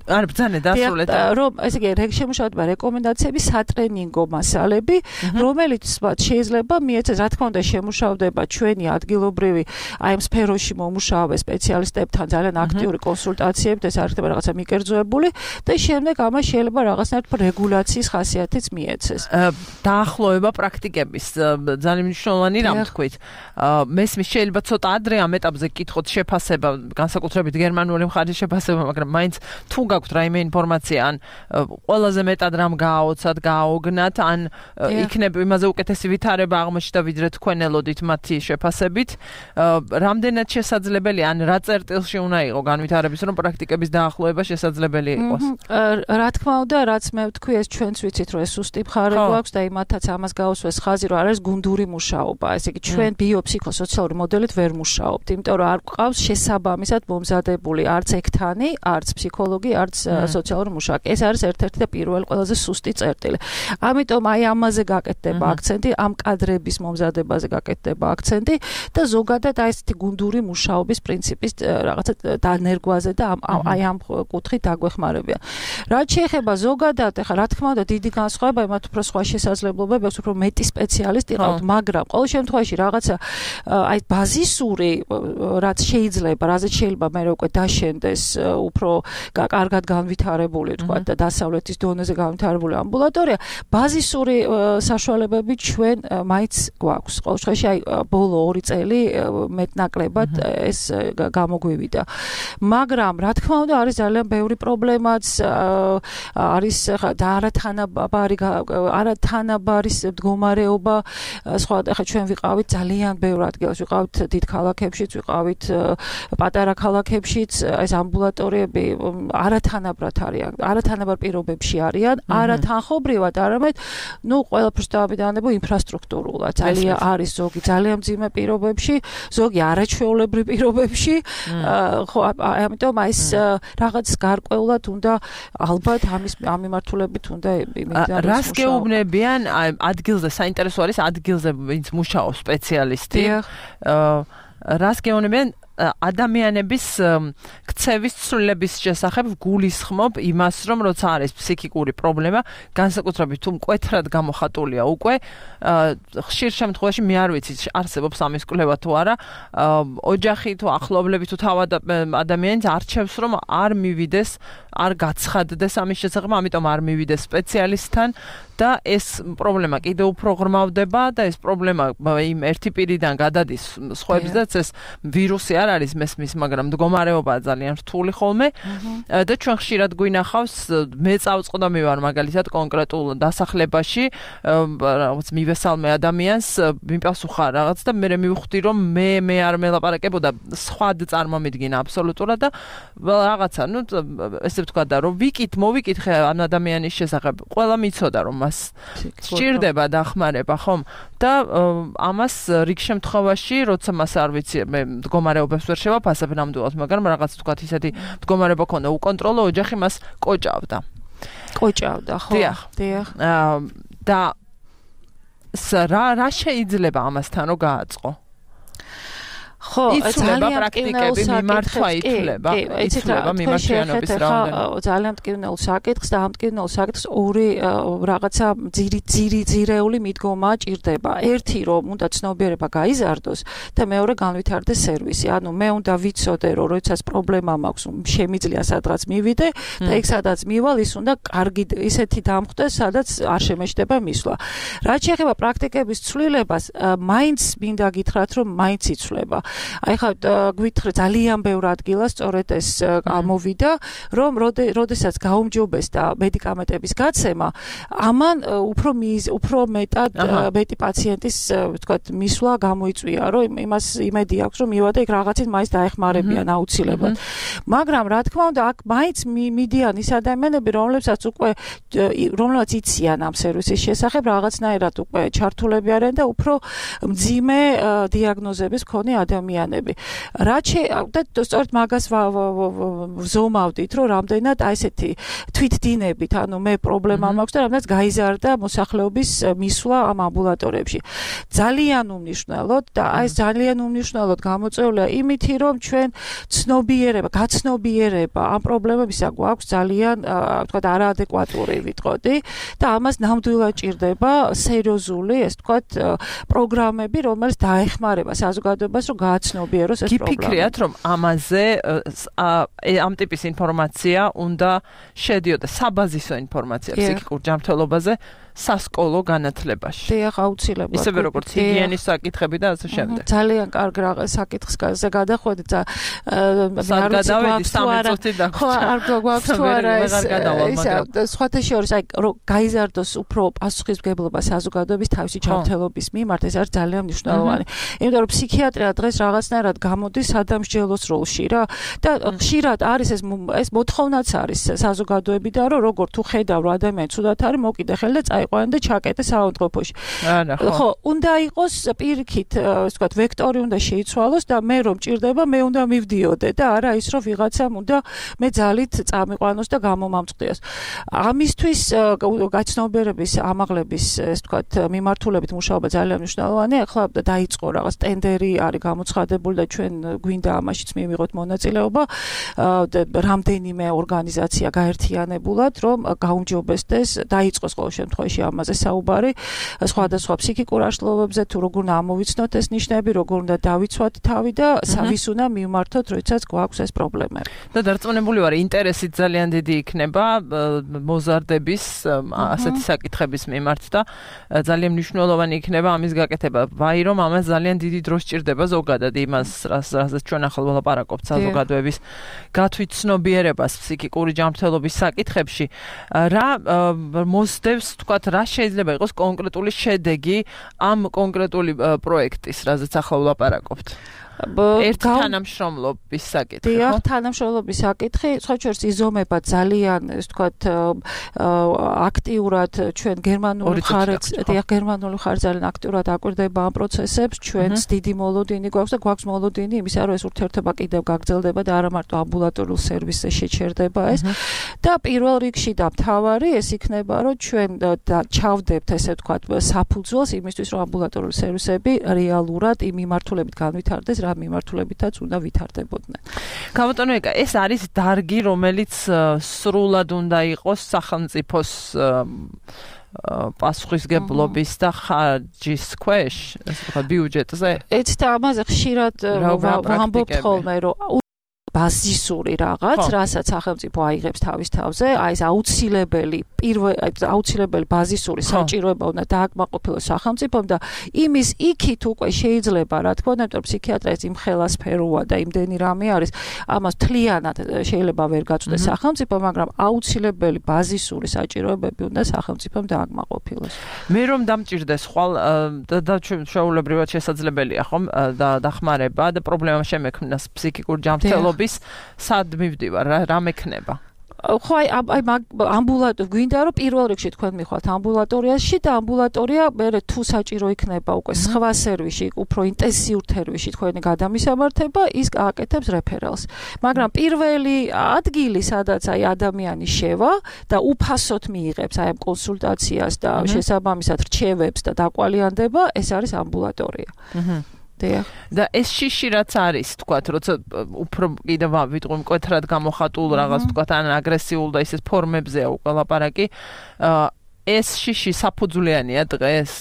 არ ბრძანე დასრულეთ რომ ესე იგი შემუშავდება რეკომენდაციები სატრენინგო მასალები რომელიც შეიძლება მიეცეს რა თქმა უნდა შემუშავდება ჩვენი ადგილობრივი აი ამ სფეროში მომუშავე სპეციალისტებთან ძალიან აქტიური კონსულტაციებით ეს არ ხდება რაღაცა მიკერძოებული და შემდეგ ამას შეიძლება რაღაცნაირად რეგულაციის ხასიათიც მიეცეს დაახლოება პრაქტიკების ძალიან მნიშვნელოვანი რამ თქვით მესმის შეიძლება ცოტა ადრე ამ ეტაპზე გკითხოთ შეფასება განსაკუთრებით გერმანული მხარის შეფასება მაგრამ მაინც თუ გაქვთ რაიმე ინფორმაცია ან ყველაზე მეტად რამ გააოცათ, გააოგნათ, ან იქნებ იმაზე უკეთესი ვითარება აღმოჩნდა ვიდრე თქვენ ელოდით მათი შეფასებით, რამდენად შესაძლებელია, ან რა წერტილში უნდა იყო განვითარების, რომ პრაქტიკების დაახლოება შესაძლებელი იყოს. რა თქმა უნდა, რაც მე ვთქვი, ეს ჩვენც ვიცით, რომ ეს სუსტი მხარე გვაქვს და იმათაც ამას გაუსვეს ხაზი, რომ არის გუნდური მუშაობა. ესე იგი, ჩვენ ბიოფსიქოსოციალური მოდელით ვერ მუშაობთ, იმიტომ რომ არ გვყავს შესაბამისად მომზადებული არც ექთანი, არც ფსიქოლოგი, არც სოციალური მუშაკი. ეს არის ერთ-ერთი და პირველი ყველაზე სუსტი წერტილი. ამიტომ აი ამაზე გაკეთდება აქცენტი, ამ კადრების მომზადებაზე გაკეთდება აქცენტი და ზოგადად აი ესეთი გუნდური მუშაობის პრინციპის რაღაცა დანერგვაზე და აი ამ კუთხით დაგვეხმარებიან. რაც შეეხება ზოგადად, ახლა რა თქმა უნდა დიდი განსხვავება, იმათ უფრო სხვა შესაძლებლობები აქვს, უფრო მეტი სპეციალისტი ყავთ, მაგრამ ყოველ შემთხვევაში რაღაცა აი ბაზისური რაც შეიძლება, რაზეც შეიძლება მე უკვე დაშენდეს უფრო კარგად განვითარებული, თქვა და დასავლეთის დონეზე განვითარებული ამბულატორია, ბაზისური საშუალებები ჩვენ მაინც გვაქვს. ყოველ შემთხვევაში აი ბოლო 2 წელი მეტნაკლებად ეს გამოგვივიდა. მაგრამ რა თქმა უნდა არის ძალიან ბევრი პრობლემაც არის და არათანაბარი მდგომარეობა სხვა ახლა ჩვენ ვიყავით ძალიან ბევრ ადგილას ვიყავით დიდ ქალაქებშიც ვიყავით პატარა ქალაქებშიც ეს ამბულატორიები არათანაბრად არიან არათანაბარ პირობებში არიან არათანხობრივად არამედ ნუ ყველაფერს დავაბიდანებო ინფრასტრუქტურულად ძალიან არის ზოგი ძალიან მძიმე პირობებში ზოგი არაჩვეულებრივ პირობებში ხო ამიტომ ეს რაღაც გარკვეულად უნდა ალბათ ამ მიმართულებით უნდა იმედად რას გეუბნებიან ადგილზე საინტერესო არის ადგილზე ვინც მუშაობს სპეციალისტი რას გეუბნებიან ადამიანების ქცევის ცვლილების შესახებ გულისხმობ იმას, რომ როცა არის ფსიქიკური პრობლემა, განსაკუთრებით თუ მკვეთრად გამოხატულია უკვე, ხშირ შემთხვევაში მე არ ვიცი, არსებობს ამის კვლევა თუ არა, ოჯახი თუ ახლობლები თუ თავად ადამიანს არჩევს, რომ არ მივიდეს, არ გაცხადდეს ამის შესახებ, ამიტომ არ მივიდეს სპეციალისტთან და ეს პრობლემა კიდევ უფრო ღრმავდება და ეს პრობლემა იმ ერთი პირიდან გადადის სხვებსაც ეს ვირუსი არ არის მესმის, მაგრამ მდგომარეობაა ძალიან რთული ხოლმე და ჩვენ ხშირად გვინახავს მე წავწყდომი ვარ მაგალითად კონკრეტულ დასახლებაში რაღაც მივესალმე ადამიანს მიპასუხა რაღაც და მე მივხვდი რომ მე არ მელაპარაკებოდა სხვა წარმომიდგინა აბსოლუტურად და რაღაცა ნუ ესე ვთქვა და რომ მოვიკითხე ამ ადამიანის შესახებ ყველა მიცოდა რომ სჭირდება დახმარება ხომ და ამას რიგ შემთხვევაში როცა მას არ ვიცი მე მდგომარეობებს ვერ შევაფასებ ნამდვილად მაგრამ რაღაც თქვათ ისეთი მდგომარეობა ქონდა უკონტროლო ოჯახი მას კოჭავდა ხო დიახ და რა შეიძლება ამასთან რო გააწყო ხო, იცვლება პრაქტიკები მიმართვა ითვლება მიმართვიანობის რაოდენობა. ძალიან მტკივნეულ საკითხს და ამ მტკივნეულ საკითხს ორი რაღაცა ძირეული მიდგომა ჭირდება. ერთი რომ უნდა ცნობიერება გაიზარდოს და მეორე განვითარდეს სერვისი. ანუ მე უნდა ვიცოდე რომ როდესაც პრობლემა მაქვს, შემიძლია სადღაც მივიდე და იქ სადაც მივალ ის უნდა კარგი ისეთი დამხვდეს, სადაც არ შემეჭდება მისვლა. რაც შეეხება პრაქტიკების ცვლილებას, მაინც მინდა გითხრათ რომ მაინც იცვლება. აი ხა გვითხრე ძალიან ბევრ ადგილას სწორედ ეს ამოვიდა, რომ როდესაც გაუმჯობესდა მედიკამენტების გაცემა, ამან უფრო მეტად მეტი პაციენტის ვთქვათ მისვლა გამოიწვია, რომ იმას იმედი აქვს, რომ მივადა იქ რაღაცით მაინც დაეხმარებიან აუცილებლად. მაგრამ რა თქმა უნდა, აქ მაინც მიდიან ის ადამიანები, რომლებსაც იციან ამ სერვისის შესახებ, რაღაცნაირად უკვე ჩართულები არიან და უფრო მძიმე დიაგნოზების მქონე ადამიანები. და სწორედ მაგას ვზომავდით, რომ რამდენად აი ესეთი თვითდინებით, ანუ მე პრობლემა მაქვს და რამდენად გაიზარდა მოსახლეობის მისვლა ამ ამბულატორიებში. ძალიან უმნიშვნელოდ და აი ეს ძალიან უმნიშვნელოდ გამოწვეულია იმითი, რომ ჩვენ გაცნობიერება ამ პრობლემებისა გვაქვს ძალიან ვთქვათ არაადეკვატური ვიტყოდი და ამას ნამდვილად ჭირდება სერიოზული, ეს ვთქვათ პროგრამები, რომელიც დაეხმარება საზოგადოებას, რომ გააცნობიეროს ეს პრობლემა. გიფიქრიათ, რომ ამაზე ამ ტიპის ინფორმაცია უნდა შედიოდა საბაზისო ინფორმაცია ფსიქიკურ ჯანმრთელობაზე სასკოლო განათლებაში. დიახ, აუცილებლად. ისევე როგორც ჰიგიენის საკითხები და ასე შემდეგ. ძალიან კარგ საკითხს გადახვედი და არ ვიცი არ გვაქვს თუ არა ეს სხვათა შორის აი რომ გაიზარდოს უფრო პასუხისმგებლობა საზოგადოების თავისი ჯანმრთელობის მიმართ, ეს არის ძალიან მნიშვნელოვანი. იმიტომ რომ ფსიქიატრია დღეს რაღაცნაირად გამოდის სადამსჯელოს როლში რა და ხშირად არის ეს მოთხოვნაც არის საზოგადოებიდან, რომ როგორ თუ ხედავ რომ ადამიანი ცუდად არის, მოკიდე ხელი და წაიყვანე და ჩაკეტე საავადმყოფოში. ხო, უნდა იყოს პირიქით, ასე ვთქვათ, ვექტორი უნდა შეიცვალოს და მე რომ ჭირდება, მე უნდა მივდიოდე და არა ის რომ ვიღაცამ უნდა მე ძალით წამიყვანოს და გამომამწყდიოს. ამისთვის გაცნობიერების ამაღლების, ასე ვთქვათ, მიმართულებით მუშაობა ძალიან მნიშვნელოვანია. ახლა დაიწყო რაღაც ტენდერი არის გამოცხადებული და ჩვენ გვინდა ამაშიც მივიღოთ მონაწილეობა. რამდენიმე ორგანიზაცია გაერთიანებულად, რომ გაუმჯობესდეს, დაიწყოს ყოველ შემთხვევაში ამაზე საუბარი, სხვადასხვა ფსიქიკურ აშლილობებზე, თუ როგორ უნდა ამოვიცნოთ ეს ნიშნები, როგორ უნდა დავიცვათ თავი და ვის უნდა მივმართოთ, როდესაც გვაქვს ეს პრობლემები. და დარწმუნებული ვარ, ინტერესით ძალიან დიდი იქნება მოზარდების ასეთი საკითხების მიმართ და ძალიან მნიშვნელოვანი იქნება ამის გაკეთება. ვაი რომ ამას ძალიან დიდი დრო სჭირდება ზოგადად იმას, რასაც ჩვენ ახლა ვლაპარაკობთ საზოგადოების გათვითცნობიერებას ფსიქიკური ჯანმრთელობის საკითხებში. რა მოსდევს, თქვათ, რა შეიძლება იყოს კონკრეტული შედეგი ამ კონკრეტული პროექტის, რაზეც ახლა ვლაპარაკობთ? ერთ თანამშრომლობის საკითხი. დიახ, თანამშრომლობის საკითხი, სხვა შორის იზომება ძალიან, ასე ვთქვათ, აქტიურად ჩვენ გერმანული ხარჯ ძალიან აქტიურად აკვირდება ამ პროცესებს, ჩვენს დიდი მოლოდინი გვაქვს და გვაქვს მოლოდინი იმისა, რომ ეს ურთიერთობა კიდევ გაგრძელდება და არა მარტო ამბულატორიულ სერვისზე შეჩერდება ეს. და პირველ რიგში და მთავარი ეს იქნება, რომ ჩვენ ჩავდებთ, ესე ვთქვათ, საფუძველს იმისთვის, რომ ამბულატორიული სერვისები რეალურად იმ მიმართულებით განვითარდეს, რა მიმართულებითაც უნდა ვითარდებოდნენ. გამოტანო ეკა, ეს არის დარგი, რომელიც სრულად უნდა იყოს სახელმწიფოს პასუხისგებლობის და ხარჯის ქვეშ, ასე ვთქვათ, ბიუჯეტზე. ეცით ამაზე ხშირად ვამბობთ ხოლმე, რომ ბაზისური რაღაც, რასაც სახელმწიფო აიღებს თავის თავზე, აი ეს აუცილებელი ბაზისური საჭიროება უნდა დააკმაყოფილოს სახელმწიფომ და იმის იქით უკვე შეიძლება, რა თქმა უნდა, იმიტომ ფსიქიატრია ეს იმხელა სფეროა და იმდენი რამე არის, ამას თლიანად შეიძლება ვერ გაწვდეს სახელმწიფო, მაგრამ აუცილებელი ბაზისური საჭიროებები უნდა სახელმწიფომ დააკმაყოფილოს. მე რომ დამჭირდეს ხვალ და ჩვეულებრივად შესაძლებელია ხომ და დახმარება და პრობლემა შემექმნას ფსიქიკურ ჯანმრთელობას სად მივდივარ, რა მექნება? ხო, აი ამბულატორია გვინდა რომ პირველ რიგში თქვენ მიხვალთ ამბულატორიაში და ამბულატორია მერე თუ საჭირო იქნება უკვე სხვა სერვისში, უფრო ინტენსიურ თერვისში თქვენი გადამისამართება, ის აკეთებს რეფერალს. მაგრამ პირველი ადგილი, სადაც აი ადამიანი შევა და უფასოდ მიიღებს აი ამ კონსულტაციას და შესაბამისად რჩევებს და დაკვალიანდება, ეს არის ამბულატორია. და ეს შიში რაც არის, თქვათ, როცა უფრო კიდევ ვიტყვი მკვეთრად გამოხატულ რაღაც, თქვათ, ან აგრესიულ და ისეს ფორმებზეა უკვე ლაპარაკი. ეს შიში საფუძვლიანია დღეს?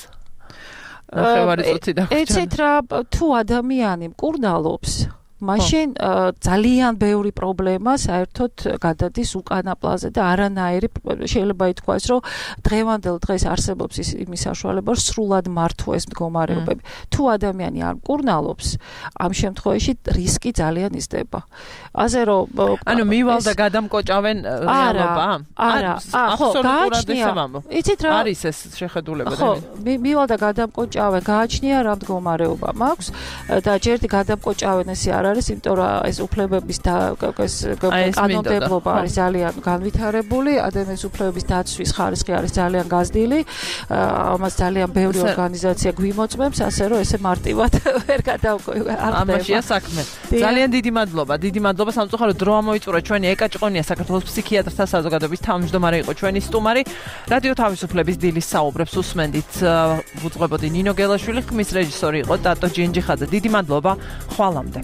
ნახევარი წუთი დაგვრჩა. ეცეთ რა, თუ ადამიანი მკურნალობს, მაშინ ძალიან ბევრი პრობლემა საერთოდ გადადის უკანა პლანზე და არანაირი შეიძლება ითქვას, რომ დღევანდელ დღეს არსებობს იმის საშუალება, რომ სრულად მართვეს მდგომარეობები. თუ ადამიანი არ მკურნალობს, ამ შემთხვევაში რისკი ძალიან იზრდება. ასე რომ ანუ მივალ და გადამკოჭავენ რეალობა? არა, ხო, გააჩნია. იცით რა არის ეს შეხედულება? ხო, მივალ და გადამკოჭავენ, გააჩნია რა მდგომარეობა მაქვს და ჯერ გადამკოჭავენ ესე არის, იმიტომ რომ ეს უფლებების და ეს კანონმდებლობა არის ძალიან განვითარებული, ადამიანის უფლებების დაცვის ხარისხი არის ძალიან გაზრდილი, ამას ძალიან ბევრი ორგანიზაცია გვიმოწმებს, ასე რომ ესე მარტივად ვერ გადავყვება. ამაშია საქმე. ძალიან დიდი მადლობა სამწუხაროდ დრო ამოიწურა ჩვენი ეკა ჭყონია საქართველოს ფსიქიატრთა საზოგადოების თავმჯდომარე იყო ჩვენი სტუმარი. რადიო თავისუფლების დილის საუბრებს უსმენდით, ვუძღვებოდი ნინო გელაშვილი, ხმის რეჟისორი იყო ტატო ჯინჯიხაძე. დიდი მადლობა, ხვალამდე.